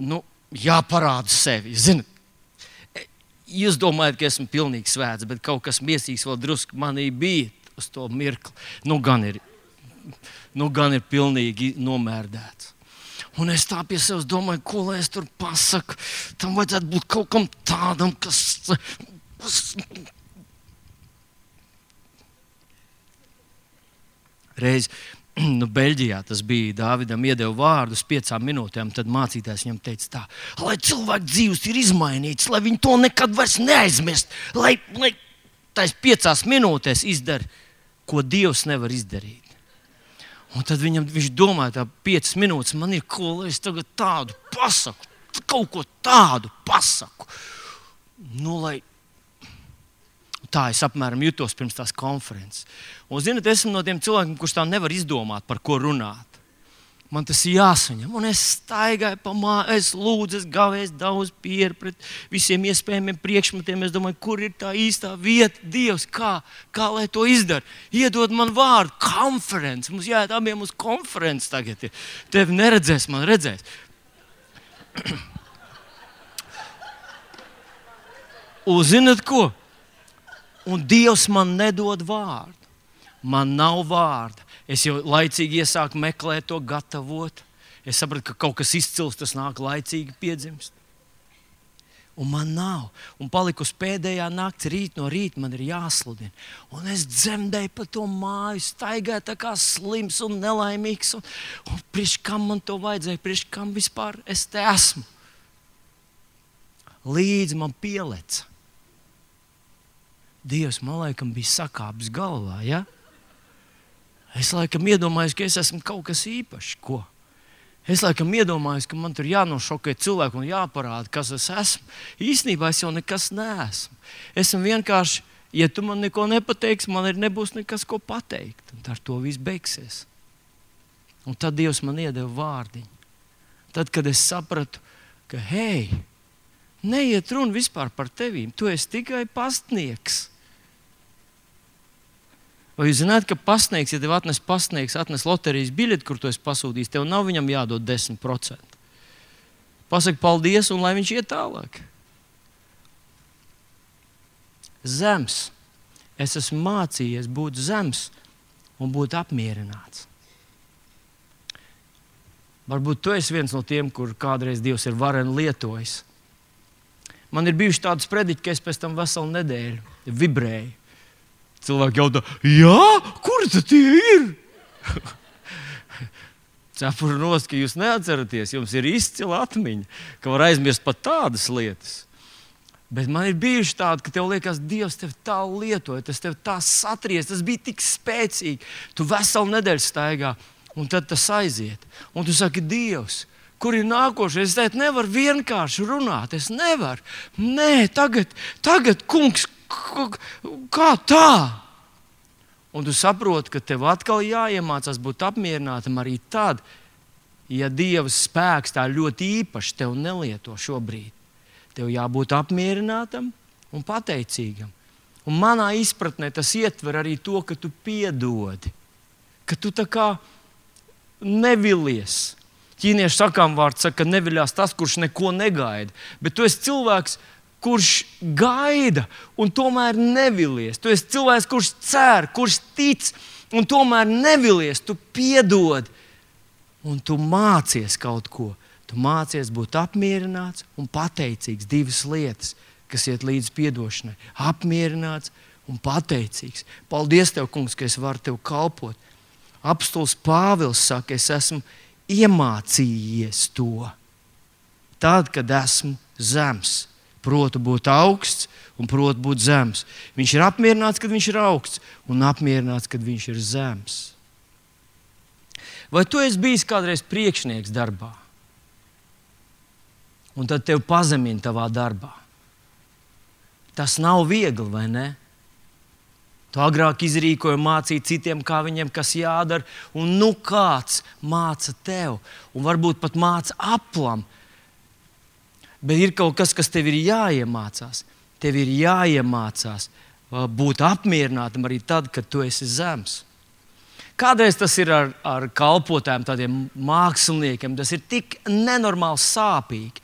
nu, jāparāda sevi. Zini, jūs domājat, ka esmu pilnīgi svēts, bet kaut kas miesīgs vēl drusku manī bija uz to mirkli. Nu, gan ir, nu, gan ir pilnīgi nomērdēts. Un es tā pie sevis domāju, ko lai es tur pasaku. Tam vajadzētu būt kaut kam tādam, kas... Reiz, nu, Beļģijā tas bija, Dāvidam iedeva vārdu uz piecām minūtēm, tad mācītājs viņam teica tā, lai cilvēku dzīves ir izmainīts, lai viņi to nekad vairs neaizmirst, lai, lai tais piecās minūtēs izdara, ko Dievs nevar izdarīt. Un tad viņam, viņš domāja, tā piecas minūtes, man ir ko, lai es tagad tādu pasaku, kaut ko tādu pasaku. Nu, lai... Tā es apmēram jutos pirms tās konferences. Un, zināt, esmu no tiem cilvēkiem, kurš tā nevar izdomāt, par ko runāt. Man tas ir jāsaņem. Un es staigāju pa māju, es lūdzu, es gavēju daudz pieru pret visiem iespējamiem priekšmetiem. Es domāju, kur ir tā īstā vieta, Dievs, kā, kā lai to izdara. Iedod man vārdu, konferences. Mums jāiet abiem uz konferences tagad. Tevi neredzēs, man redzēs. Un zināt ko? Un Dievs man nedod vārdu. Man nav vārda. Es jau laicīgi iesāku meklēt to, gatavot. Es sapratu, ka kaut kas izcils, tas nāk laicīgi piedzimst. Un man nav. Un palikus pēdējā nakts, rīt no rīta man ir jāsludina. Un es dzemdēju pa to māju, staigāju tā kā slims un nelaimīgs. Un, un priekš kam man to vajadzēja, priekš kam vispār es te esmu. Līdz man pieleca. Dievs man laikam bija sakāpis galvā, ja? Es laikam iedomājos, ka es esmu kaut kas īpašs, ko? Es laikam iedomājos, ka man tur jānošokē cilvēku un jāparāda, kas es esmu. Īstenībā es jau nekas neesmu. Esmu vienkārši, ja tu man neko nepateiksi, man ir nebūs nekas, ko pateikt. Un ar to viss beigsies. Un tad Dievs man iedeva vārdiņu. Tad, kad es sapratu, ka hei, neiet runa vispār par tevīm, tu esi tikai pastnieks. Vai jūs zināt, ka pastnieks, ja tev atnes pastnieks, atnes loterijas biļeti, kur tu esi pasūtījis, tev nav viņam jādod desmit procenti. Pasaki paldies un lai viņš iet tālāk. Zems. Es esmu mācījies būt zems un būt apmierināts. Varbūt tu esi viens no tiem, kur kādreiz Dievs ir vareni lietojis. Man ir bijuši tādas prediķi, ka es pēc tam veselu nedēļu vibrēju. Cilvēki jautā, jā, kur tad tie ir? Cepuru nost, ka jūs neatceraties, jums ir izcila atmiņa, ka var aizmirst pat tādas lietas. Bet man ir bijuši tādi, ka tev liekas, Dievs tev tā lietoja, tas tev tā satries, tas bija tik spēcīgi. Tu veselu nedēļu staigā, un tad tas aiziet. Un tu saki, Dievs, kur ir nākošais? Es teicu, nevaru vienkārši runāt, es nevaru. Nē, tagad, tagad, kungs, kā tā? Un tu saproti, ka tev atkal jāiemācās būt apmierinātam arī tad, ja Dieva spēks tā ļoti īpaši tev nelieto šobrīd. Tev jābūt apmierinātam un pateicīgam. Un manā izpratnē tas ietver arī to, ka tu piedodi, ka tu tā kā nevilies. Ķīniešu sakām vārds saka, ka neviļās tas, kurš neko negaida. Bet tu esi cilvēks, kurš gaida un tomēr nevilies. Tu esi cilvēks, kurš cer, kurš tic un tomēr nevilies. Tu piedod un tu mācies kaut ko. Tu mācies būt apmierināts un pateicīgs. Divas lietas, kas iet līdz piedošanai. Apmierināts un pateicīgs. Paldies Tev, kungs, ka es varu Tev kalpot. Apostols Pāvils saka, es esmu iemācījies to. Tad, kad esmu zems. Protu būt augsts un protu būt zems. Viņš ir apmierināts, kad viņš ir augsts, un apmierināts, kad viņš ir zems. Vai tu esi bijis kādreiz priekšnieks darbā? Un tad tev pazemina tavā darbā. Tas nav viegli, vai ne? Tu agrāk izrīkoji mācīt citiem, kā viņiem kas jādara, un nu kāds māca tev, un varbūt pat māca aplam. Bet ir kaut kas, kas tev ir jāiemācās. Tev ir jāiemācās būt apmierinātam arī tad, kad tu esi zems. Kādreiz tas ir ar, ar kalpotājiem, tādiem māksliniekiem. Tas ir tik nenormāli sāpīgi.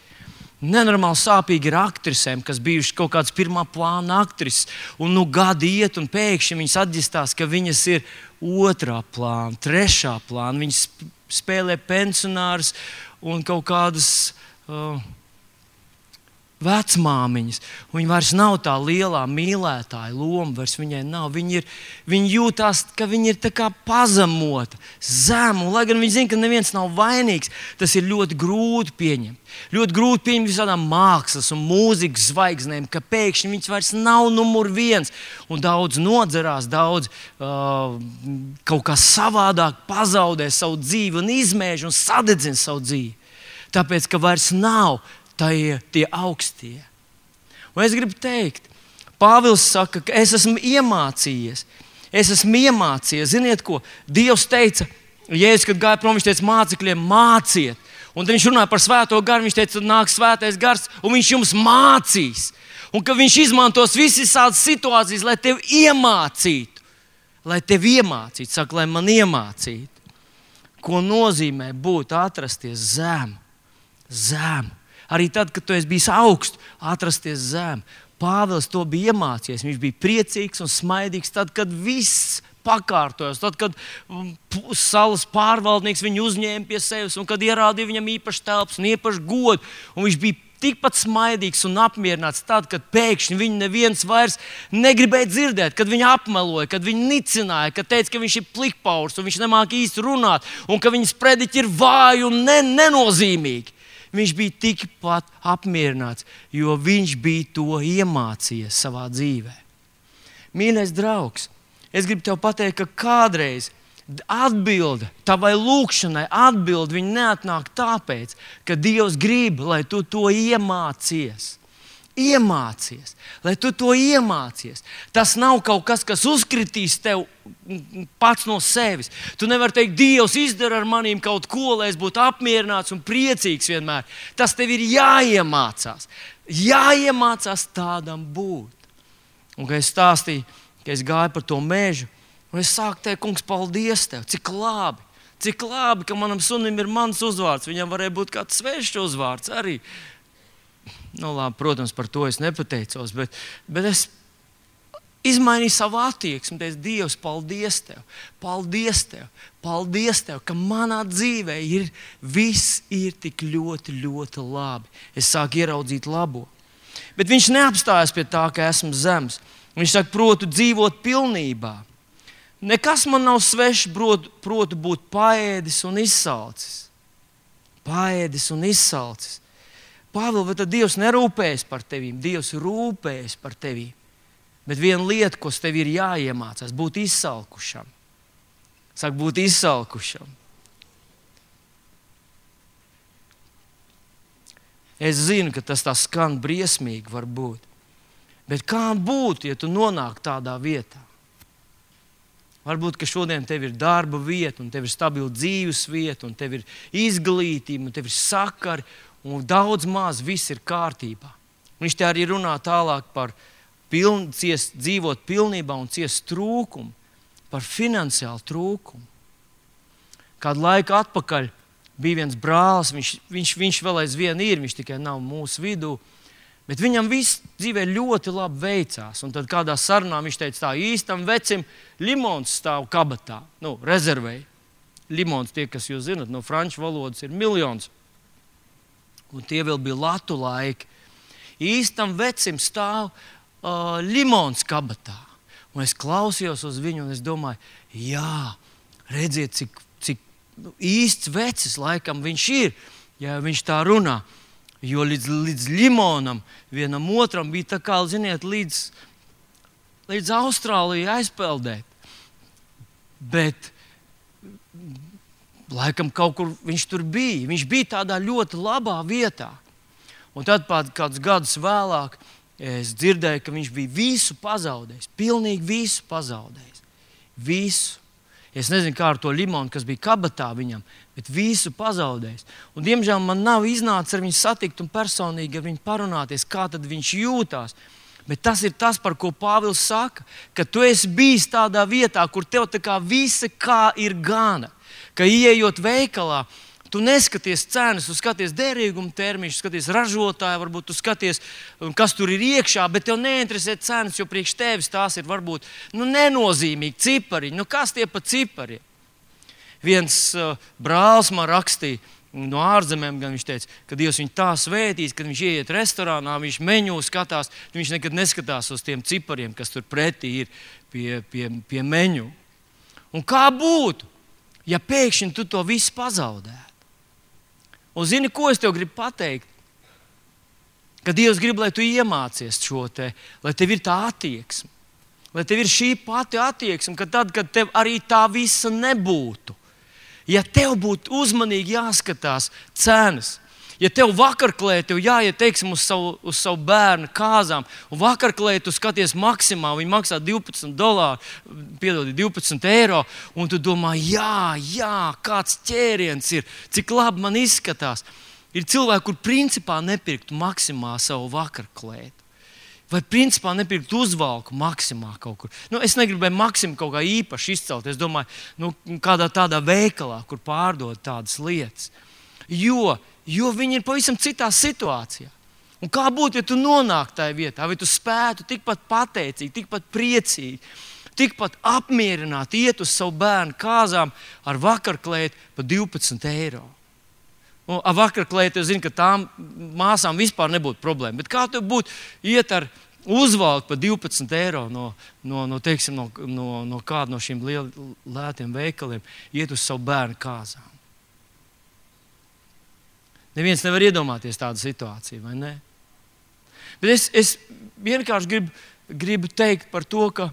Nenormāli sāpīgi ir aktrisēm, kas bijušas kaut kādas pirmā plāna aktrises. Un nu gadi iet, un pēkšņi viņas atģistās, ka viņas ir otrā plāna, trešā plāna. Viņas spēlē pensionārs un kaut kādas uh, vecmāmiņas. Viņa vairs nav tā lielā mīlētāja loma, vairs viņai nav. Viņa, ir, viņa jūtās, ka viņa ir tā kā pazemota, zema. Lai gan viņa zina, ka neviens nav vainīgs, tas ir ļoti grūti pieņemt. Ļoti grūti pieņemt visādām mākslas un mūzikas zvaigznēm, ka pēkšņi viņas vairs nav numur viens. Un daudz nodzerās, daudz uh, kaut kā savādāk pazaudē savu dzīvi un izmēž un sadedzina savu dzīvi. Tāpēc, ka vairs nav tie, tie augstie. Un es gribu teikt, Pāvils saka, ka es esmu iemācījies. Es esmu iemācījies. Ziniet ko? Dievs teica, Jēzus, kad gāja prom, viņš teica mācekļiem, māciet. Un tad viņš runāja par svēto garu, viņš teica, tad nāks svētais gars, un viņš jums mācīs. Un ka viņš izmantos visas situācijas, lai tevi iemācītu. Lai tevi iemācītu, saka, lai man iemācītu. Ko nozīmē būt atrasties zem? Zem. Arī tad, kad tu esi bijis augstu, atrasties zem. Pāvils to bija iemācījies. Viņš bija priecīgs un smaidīgs tad, kad viss pakārtojas. Tad, kad salas pārvaldnieks viņu uzņēma pie sevis un kad ierādīja viņam īpaši telpas un īpaši godu. Un viņš bija tikpat smaidīgs un apmierināts tad, kad pēkšņi viņu neviens vairs negribēja dzirdēt, kad viņu apmeloja, kad viņu nicināja, kad teica, ka viņš ir plikpaurs un viņš nemāk īsti runāt un ka viņas prediķi ir vāji un ne, nenozīmīgi. Viņš bija tikpat apmierināts, jo viņš bija to iemācījies savā dzīvē. Mīļais draugs, es gribu tev pateikt, ka kādreiz atbilde tavai lūkšanai, atbilde viņa neatnāk tāpēc, ka Dievs grib, lai tu to iemācies. Iemācies, lai tu to iemācies. Tas nav kaut kas, kas uzkritīs tev pats no sevis. Tu nevari teikt, Dievs izdara ar manīm kaut ko, lai es būtu apmierināts un priecīgs vienmēr. Tas tev ir jāiemācās. Jāiemācās tādam būt. Un, kad es stāstīju, ka es gāju par to mežu, un es sāku teikt, kungs, paldies tev, cik labi. Cik labi, ka manam sunim ir mans uzvārds. Viņam varēja būt kāds svešs uzvārds arī. Nu, labi, protams, par to es nepateicos, bet, bet es izmainīju savu attieksmi. Teicu, Dievs, paldies tev, paldies tev, paldies tev, ka manā dzīvē ir, viss ir tik ļoti, ļoti labi. Es sāku ieraudzīt labo. Bet viņš neapstājas pie tā, ka esmu zems. Viņš saka, protu dzīvot pilnībā. Nekas man nav svešs, protu, protu būt paēdis un izsalcis. Paēdis un izsalcis. Pāvils, vai tad Dievs nerūpējas par tevīm? Dievs rūpējas par tevīm. Bet viena lieta, ko tev ir jāiemācās, būt izsalkušam. Saka, būt izsalkušam. Es zinu, ka tas tā skan briesmīgi var būt. Bet kā būt, ja tu nonāk tādā vietā? Varbūt, ka šodien tev ir darba vieta, un tev ir stabila dzīves vieta, un tev ir izglītība, un tev ir sakari, un daudz maz viss ir kārtībā. Viņš te arī runā tālāk par piln, ciest, dzīvot pilnībā un ciest trūkumu, par finansiālu trūkumu. Kādu laiku atpakaļ bija viens brālis, viņš, viņš, viņš vēl aizvien ir, viņš tikai nav mūsu vidū, bet viņam viss dzīvē ļoti labi veicās. Un tad kādā sarunā viņš teica, tā īstam vecim limons stāv kabatā, nu, rezervēja. Limons, tie, kas jūs zinat, no franču valodas ir miljons. Un tie vēl bija latu laiki. Īstam vecim stāv uh, limons kabatā. Un es klausījos uz viņu un es domāju, jā, redziet, cik, cik nu, īsts vecis laikam viņš ir, ja viņš tā runā. Jo līdz, līdz limonam vienam otram bija tā kā, ziniet, līdz, līdz Austrālijai aizpeldēt. Bet laikam kaut kur viņš tur bija. Viņš bija tādā ļoti labā vietā. Un tad pat kādus gadus vēlāk es dzirdēju, ka viņš bija visu pazaudējis. Pilnīgi visu pazaudējis. Visu. Es nezinu, kā ar to limonu, kas bija kabatā viņam, bet visu pazaudējis. Un, diemžēl man nav iznācis ar viņu satikt un personīgi ar viņu parunāties, kā tad viņš jūtās. Bet tas ir tas, par ko Pāvils saka, ka tu esi bijis tādā vietā, kur tev tā kā visa kā ir gana. Ka ieejot veikalā, tu neskaties cenas, tu skaties derīguma termiņus, skaties ražotāju, varbūt tu skaties, kas tur ir iekšā, bet tev neinteresē cenas, jo priekš tevis tās ir varbūt nu, nenozīmīgi cipariņi. Nu, kas tie pa cipariem? Viens uh, brālis man rakstīja no ārzemēm, gan viņš teica, ka Dievs viņu tā svētīs, kad viņš ieiet restorānā, viņš meņu skatās, viņš nekad neskatās uz tiem cipariem, kas tur pretī ir pie, pie, pie meņu. Un kā būtu, ja pēkšņi tu to visu pazaudētu? Un zini, ko es tev gribu pateikt? Ka Dievs grib, lai tu iemācies šo te, lai tev ir tā attieksme. Lai tev ir šī pati attieksme, ka tad, kad tev arī tā visa nebūtu. Ja tev būtu uzmanīgi jāskatās cenas, ja tev vakarklē tev jāiet, teiksim, uz savu, uz savu bērnu kāzām, un vakarklē tu skaties maksimā, viņi maksā divpadsmit dolāru, piedodi, divpadsmit eiro, un tu domā, jā, jā, kāds ķēriens ir, cik labi man izskatās. Ir cilvēki, kur principā nepirktu maksimā savu vakarklētu. Vai principā nepirktu uzvalku maksimā kaut kur. Nu, es negribēju maksimu kaut kā īpaši izcelt. Es domāju, nu, kādā tādā veikalā, kur pārdod tādas lietas. Jo Jo viņi ir pavisam citā situācijā. Un kā būtu, ja tu nonāktu tajā vietā, vai tu spētu tikpat pateicīgi, tikpat priecīgi, tikpat apmierināti iet uz savu bērnu kāzām ar vakarklēti par divpadsmit eiro. Un ar vakarklēti es zinu, ka tām māsām vispār nebūtu problēma. Bet kā tev būtu iet ar uzvalku par divpadsmit eiro no, no, no, teiksim, no, no, no kāda no šiem liel, lētiem veikaliem, iet uz savu bērnu kāzām? Neviens nevar iedomāties tādu situāciju, vai ne? Bet es, es vienkārši gribu, gribu teikt par to, ka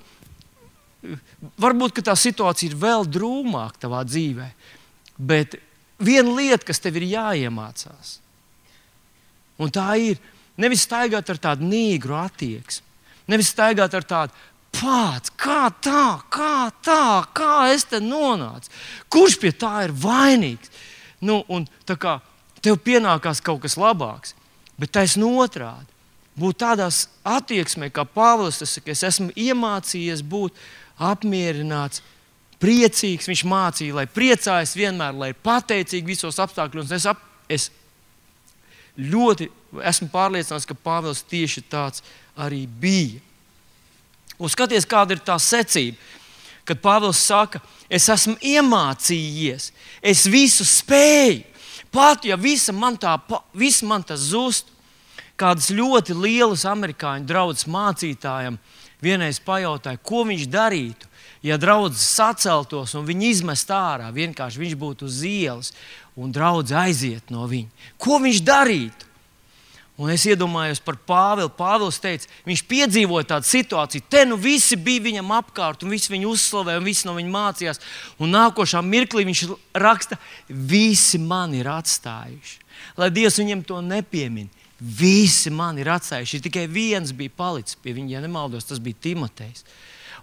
varbūt ka tā situācija ir vēl drūmāka tavā dzīvē, bet viena lieta, kas tev ir jāiemācās, un tā ir nevis staigāt ar tādu nīgru attieksmi, nevis staigāt ar tādu pats, kā tā, kā tā, kā es te nonācu, kurš pie tā ir vainīgs. Nu, un tā kā tev pienākās kaut kas labāks, bet taisn otrādi. Būt tādās attieksmē, kā Pāvils, es, es esmu iemācījies būt apmierināts, priecīgs. Viņš mācīja, lai priecājas vienmēr, lai pateicīgi visos apstākļos. Es, ap, es ļoti esmu pārliecināts, ka Pāvils tieši tāds arī bija. Un skaties, kāda ir tā secība, kad Pāvils saka, es esmu iemācījies, es visu spēju. Pat ja visa man tā, visa man tas zust, kādas ļoti lielas amerikāņu draudzes mācītājam vienreiz pajautāja, ko viņš darītu, ja draudzes saceltos un viņi izmest ārā, vienkārši viņš būtu uz ielas un draudze aiziet no viņa. Ko viņš darītu? Un es iedomājos par Pāvilu. Pāvils teica, viņš piedzīvoja tādu situāciju. Te nu visi bija viņam apkārt, un visi viņu uzslavēja, un visi no viņa mācījās. Un nākošā mirklī viņš raksta, visi mani ir atstājuši. Lai Dievs viņiem to nepiemin. Visi mani ir atstājuši. Tikai viens bija palicis pie viņa, ja nemaldos, tas bija Timotejs.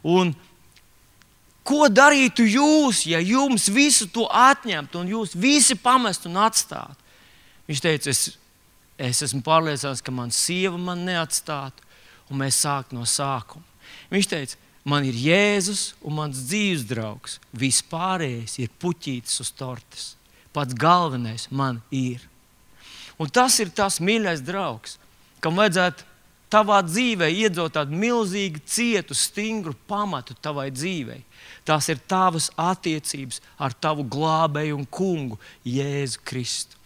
Un ko darītu jūs, ja jums visu to atņemtu, un jūs visi pamestu un atstātu? Viņš teica, es Es esmu pārliecināts, ka man sieva man neatstātu, un mēs sāktu no sākuma. Viņš teica, man ir Jēzus un mans dzīves draugs. Viss pārējais ir puķītis uz tortes. Pats galvenais man ir. Un tas ir tas mīļais draugs, kam vajadzētu tavā dzīvē iedzot tādu milzīgu, cietu, stingru pamatu tavai dzīvei. Tās ir tavas attiecības ar tavu glābēju un kungu Jēzu Kristu.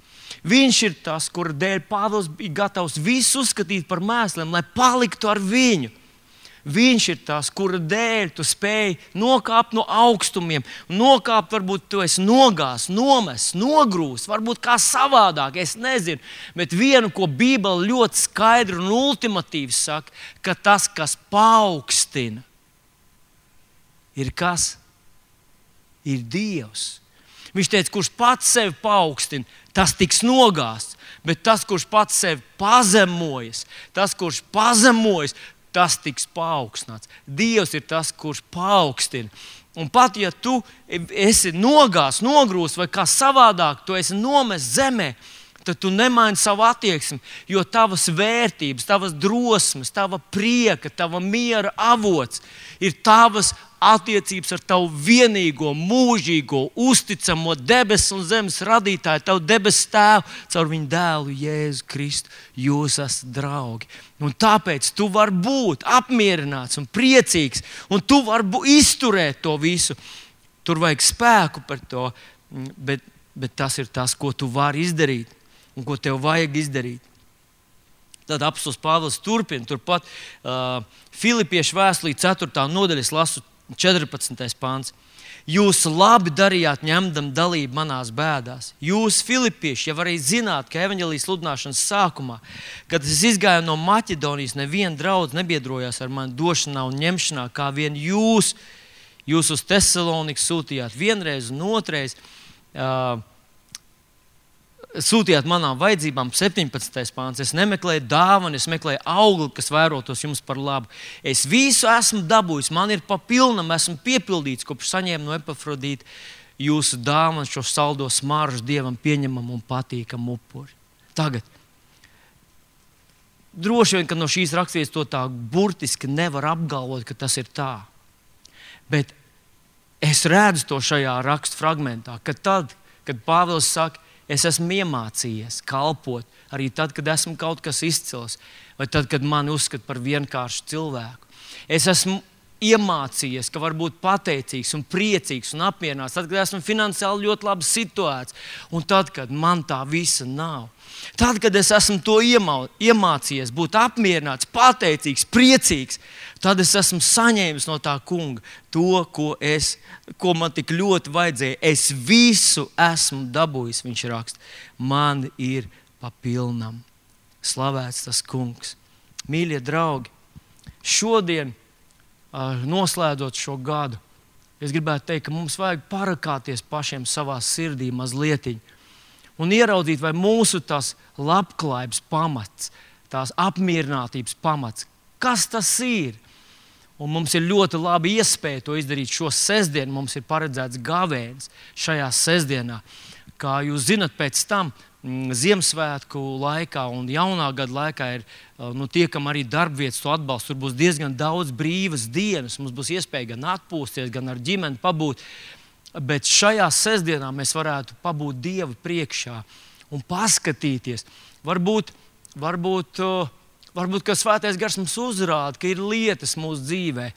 Viņš ir tas, kura dēļ Pāvils bija gatavs visu uzskatīt par mēsliem, lai paliktu ar viņu. Viņš ir tas, kura dēļ tu spēj nokāpt no augstumiem, nokāpt, varbūt tu esi nogās, nomests, nogrūst, varbūt kā savādāk, es nezinu. Bet vienu, ko Bībele ļoti skaidri un ultimatīvi saka, ka tas, kas paaugstina, ir kas? Ir Dievs. Viņš teica, kurš pats sevi paaugstina, tas tiks nogāsts, bet tas, kurš pats sevi pazemojas, tas, kurš pazemojas, tas tiks paaugstināts. Dievs ir tas, kurš paaugstina. Un pat, ja tu esi nogās, nogrūst vai kā savādāk, tu esi nomests zemē, tad tu nemaini savu attieksmi, jo tavas vērtības, tavas drosmes, tava prieka, tava miera avots ir tavas attiecības ar tavu vienīgo, mūžīgo, uzticamo debesu un zemes radītāju, tavu debesu tēvu, caur viņu dēlu Jēzu Kristu. Jūs esat draugi. Un tāpēc tu vari būt apmierināts un priecīgs, un tu vari būt, izturēt to visu. Tur vajag spēku par to, bet, bet tas ir tas, ko tu vari izdarīt un ko tev vajag izdarīt. Tad apostols Pāvils turpina, turpat uh, Filipiešu vēstulē ceturtā nodaļa, lasu četrpadsmitais pāns. Jūs labi darījāt, ņemdam dalību manās bēdās. Jūs, filipieši, jau arī zināt, ka evaņģēlijas sludināšanas sākumā, kad es izgāju no Maķedonijas, neviena draudze nebiedrojās ar mani došanā un ņemšanā, kā vien jūs, jūs uz Tesaloniku sūtījāt vienreiz un otrais. Uh, Sūtījāt manām vajadzībām, septiņpadsmitais pāns. Es nemeklēju dāvanu, es meklēju augli, kas vērotos jums par labu. Es visu esmu dabūjis, man ir pa pilnam, esmu piepildīts, kopš saņēmu no Epafrodīta jūsu dāvanu, šo saldo smaržu Dievam pieņemam un patīkam upuri. Tagad, droši vien, ka no šīs raksturvietas to tā burtiski nevar apgalvot, ka tas ir tā. Bet es redzu to šajā rakstu fragmentā, ka tad, kad Pāvils saka, es esmu iemācījies kalpot arī tad, kad esmu kaut kas izcils, vai tad, kad mani uzskata par vienkāršu cilvēku. Es esmu iemācījies, ka var būt pateicīgs un priecīgs un apmierināts, tad, kad esmu finansiāli ļoti labi situēts, un tad, kad man tā visa nav. Tad, kad es esmu to iemā, iemācījies būt apmierināts, pateicīgs, priecīgs, tad es esmu saņēmis no tā kunga to, ko, es, ko man tik ļoti vajadzēja. Es visu esmu dabūjis, viņš raksta. Man ir pa pilnam. Slavēts tas kungs. Mīļie draugi, šodien, noslēdzot šo gadu, es gribētu teikt, ka mums vajag parakāties pašiem savā sirdī mazlietiņ un ieraudzīt, vai mūsu tās labklājības pamats, tās apmierinātības pamats, kas tas ir. Un mums ir ļoti labi iespēja to izdarīt šo sestdienu. Mums ir paredzēts gavēnis šajā sestdienā. Kā jūs zinat, pēc tam Ziemassvētku laikā un jaunā gada laikā ir nu, tie, kam arī darbvietas to atbalsta. Tur būs diezgan daudz brīvas dienas. Mums būs iespēja gan atpūsties, gan ar ģimeni pabūt. Bet šajā sestdienā mēs varētu pabūt Dievu priekšā un paskatīties. Varbūt, varbūt, varbūt ka Svētais Gars mums uzrāda, ka ir lietas mūsu dzīvē,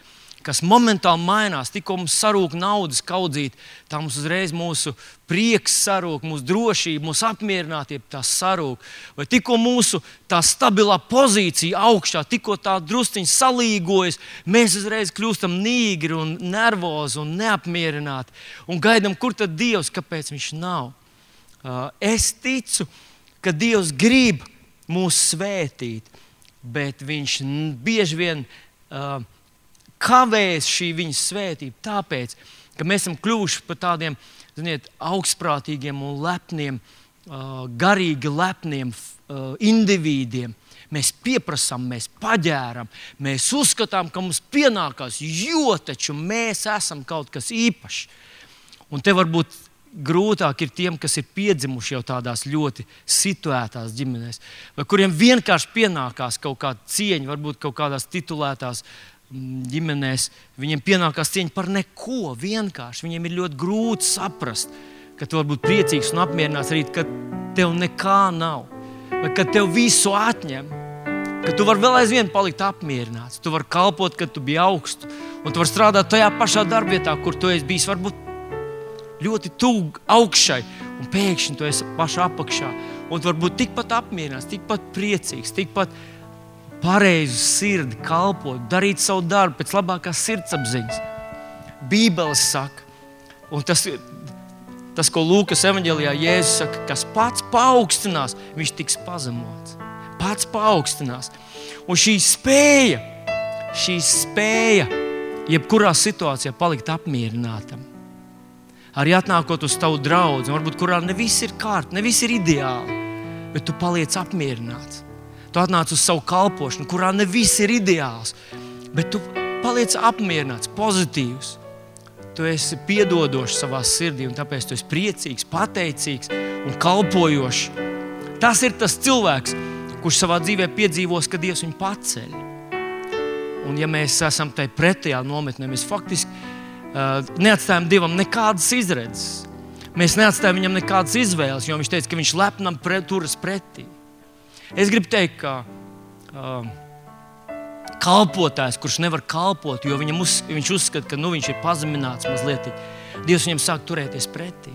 kas momentāli mainās. Tikko mums sarūk naudas kaudzīt, tā mums uzreiz mūsu prieks sarūk, mūsu drošība, mūsu apmierinātība tā sarūk. Vai tikko mūsu tā stabilā pozīcija augšā, tikko tā drusciņi salīgojas, mēs uzreiz kļūstam nīgri un nervozi un neapmierināti. Un gaidām, kur tad Dievs, kāpēc viņš nav. Es ticu, ka Dievs grib mūs svētīt, bet viņš bieži vien uh, kavēs šī viņa svētība tāpēc, ka mēs esam kļuvuši par tādiem, ziniet, augstprātīgiem un lepniem, uh, garīgi lepniem uh, individiem. Mēs pieprasām, mēs paģēram, mēs uzskatām, ka mums pienākās, jo taču mēs esam kaut kas īpašs. Un te varbūt grūtāk ir tiem, kas ir piedzimuši jau tādās ļoti situētās ģimenēs, vai kuriem vienkārši pienākās kaut kāda cieņa, varbūt kaut kādās titulētās ģimenēs, viņiem pienākās cieņa par neko vienkārši. Viņiem ir ļoti grūti saprast, ka tu vari būt priecīgs un apmierināts arī, ka tev nekā nav, vai ka tev visu atņem, ka tu vari vēl aizvien palikt apmierināts, tu vari kalpot, kad tu biji augstu, un tu vari strādāt tajā pašā darbvietā, kur tu esi bijis varbūt ļoti tuvu augšai, un pēkšņi tu esi pašā apakšā, un tu vari būt tikpat apmierināts, tikpat priecīgs, tikpat pareizu sirdi kalpot, darīt savu darbu pēc labākās sirdsapziņas. Bībeles saka, un tas, tas ko Lūkas evaņģēlijā Jēzus saka, kas pats paaugstinās, viņš tiks pazemots. Pats paaugstinās. Un šī spēja, šī spēja, jebkurā situācijā palikt apmierinātam. Arī atnākot uz tavu draudzi, varbūt kurā ne viss ir kārt, ne viss ir ideāli, bet tu paliec apmierināts. Tu atnāc uz savu kalpošanu, kurā ne viss ir ideāls, bet tu paliec apmierināts, pozitīvs. tu esi piedodošs savā sirdī, un tāpēc tu esi priecīgs, pateicīgs un kalpojošs. Tas ir tas cilvēks, kurš savā dzīvē piedzīvos, ka Dievs viņu paceļ. Un ja mēs esam tai pretējā nometnē, mēs faktiski uh, neatstājam Dievam nekādas izredzes. Mēs neatstājam viņam nekādas izvēles, jo viņš teica, ka viņš lepnam pre, turas pretī. Es gribu teikt, ka uh, kalpotājs, kurš nevar kalpot, jo viņam uz, viņš uzskata, ka nu, viņš ir pazemināts mazliet, Dievs viņam sāk turēties pretī.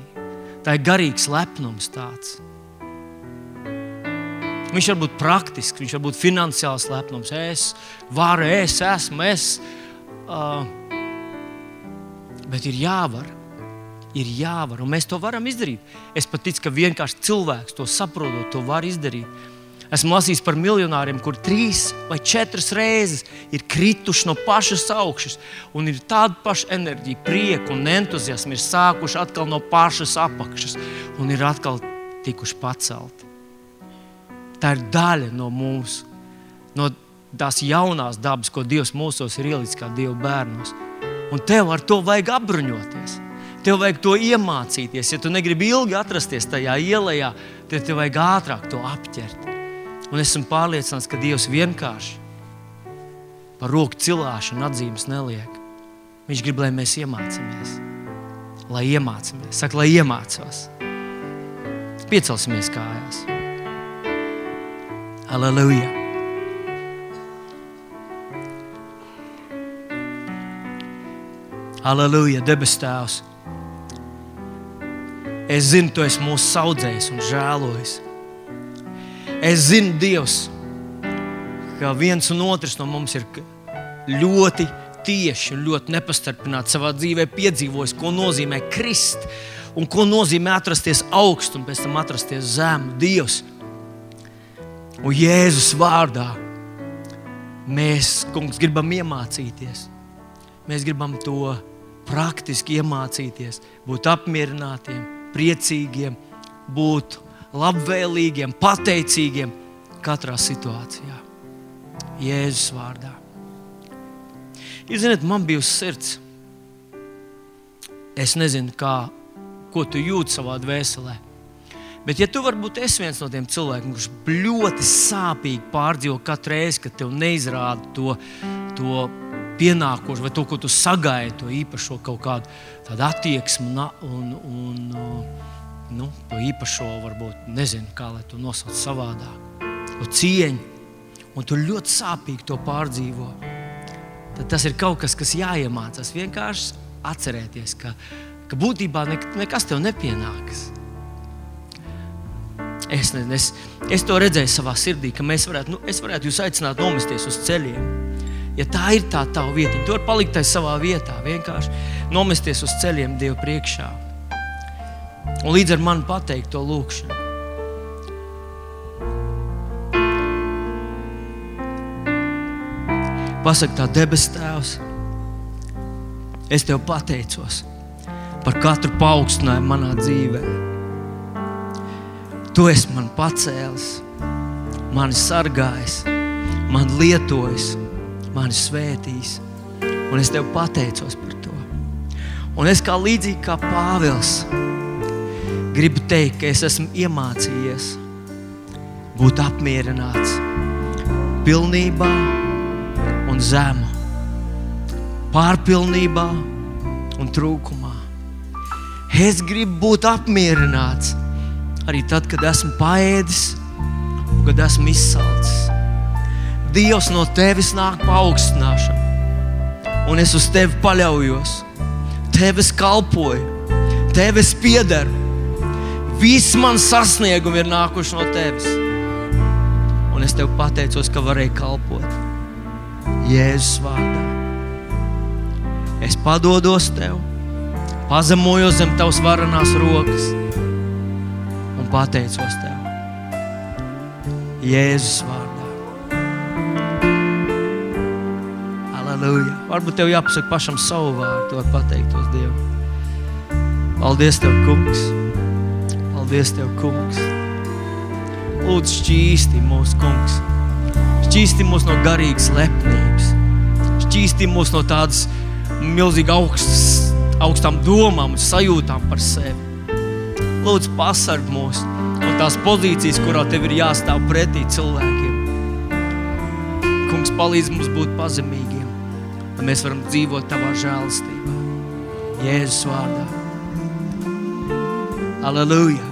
Tā ir garīgs lepnums tāds. Viņš var būt praktisks, viņš var būt finansiāls lepnums. Es varu, es esmu, es. Uh, bet ir jāvar. Ir jāvar, un mēs to varam izdarīt. Es pat ticu, ka vienkārši cilvēks to saprotot, to var izdarīt. Esmu lasījis par miljonāriem, kur trīs vai četras reizes ir krituši no pašas augšas, un ir tāda paša enerģija, prieku un entuziasmu, ir sākuši atkal no pašas apakšas, un ir atkal tikuši pacelti. Tā ir daļa no mums, no tās jaunās dabas, ko Dievs mūsos ir ielicis kā Dieva bērnos. Un tev ar to vajag apbruņoties. Tev vajag to iemācīties. Ja tu negribi ilgi atrasties tajā ielajā, tad tev vajag ātrāk to apķert. Un esmu pārliecināts, ka Dievs vienkārši par roku cilāšanu atzīmes neliek. Viņš grib, lai mēs iemācamies. Lai iemācamies. Saka, lai iemācos. Piecelsimies kājās. Halleluja. Halleluja, debes Tēvs. Es zinu, tu esi mūsu saudzējis un žēlojis. Es zinu, Dievs, ka viens un otrs no mums ir ļoti tieši un ļoti nepastarpināti savā dzīvē piedzīvojis, ko nozīmē krist un ko nozīmē atrasties augst un pēc tam atrasties zem. Dievs, un Jēzus vārdā mēs, kungs, gribam iemācīties. Mēs gribam to praktiski iemācīties, būt apmierinātiem, priecīgiem, būt labvēlīgiem, pateicīgiem katrā situācijā. Jēzus vārdā. Jūs zināt, man bija uz sirds. Es nezinu, kā, ko tu jūti savā dvēselē. Bet ja tu varbūt esi viens no tiem cilvēkiem, kurš ļoti sāpīgi pārdzīvo katru reizi, kad tev neizrāda to, to pienākošu vai to, ko tu sagaidi, to īpašo kaut kādu tādu attieksmu un, un nu, to īpašo varbūt, nezinu, kā lai to nosauc savādāk, to cieņu, un tu ļoti sāpīgi to pārdzīvo, tad tas ir kaut kas, kas jāiemācās. Vienkārši atcerēties, ka, ka būtībā ne, nekas tev nepienākas. Es, ne, es, es to redzēju savā sirdī, ka mēs varētu, nu, es varētu jūs aicināt nomesties uz ceļiem. Ja tā ir tā tava vieta, tu vari palikt tai savā vietā, vienkārši nomesties uz ceļiem Dievu priekšā. Un līdz ar mani pateikt to lūkšanu. Pasaka tā, debes Tēvs, es Tev pateicos par katru paaugstinājumu manā dzīvē. Tu esi man pacēlis, mani sargājis, mani lietojis, mani svētījis, un es Tev pateicos par to. Un es kā līdzīgi kā Pāvils gribu teikt, ka es esmu iemācījies būt apmierināts pilnībā un zemu, pārpilnībā un trūkumā. Es gribu būt apmierināts arī tad, kad esmu paēdis un kad esmu izsalcis. Dievs, no Tevis nāk paaugstināšana, un es uz Tevi paļaujos. Tev es kalpoju, Tev es piederu. Viss man sasniegumi ir nākuši no Tevis. Un es Tev pateicos, ka varēju kalpot. Jēzus vārdā. Es padodos Tev, pazemojos zem Tavas varenās rokas un pateicos Tev. Jēzus vārdā. Halleluja. Varbūt Tev jāpasaka pašam savu vārdu, tu var pateiktos Dievu. Paldies Tev, kungs. Paldies Tev, kungs. Lūdzu, šķīsti mūs, kungs. Šķīsti mūs no garīgas lepnības. Šķīsti mūs no tādas milzīgi augstas augstām domām un sajūtām par sevi. Lūdzu, pasarg mūs no tās pozīcijas, kurā Tev ir jāstāv pretī cilvēkiem. Kungs, palīdz mums būt pazemīgiem, lai mēs varam dzīvot Tavā žēlastībā. Jēzus vārdā. Aleluja!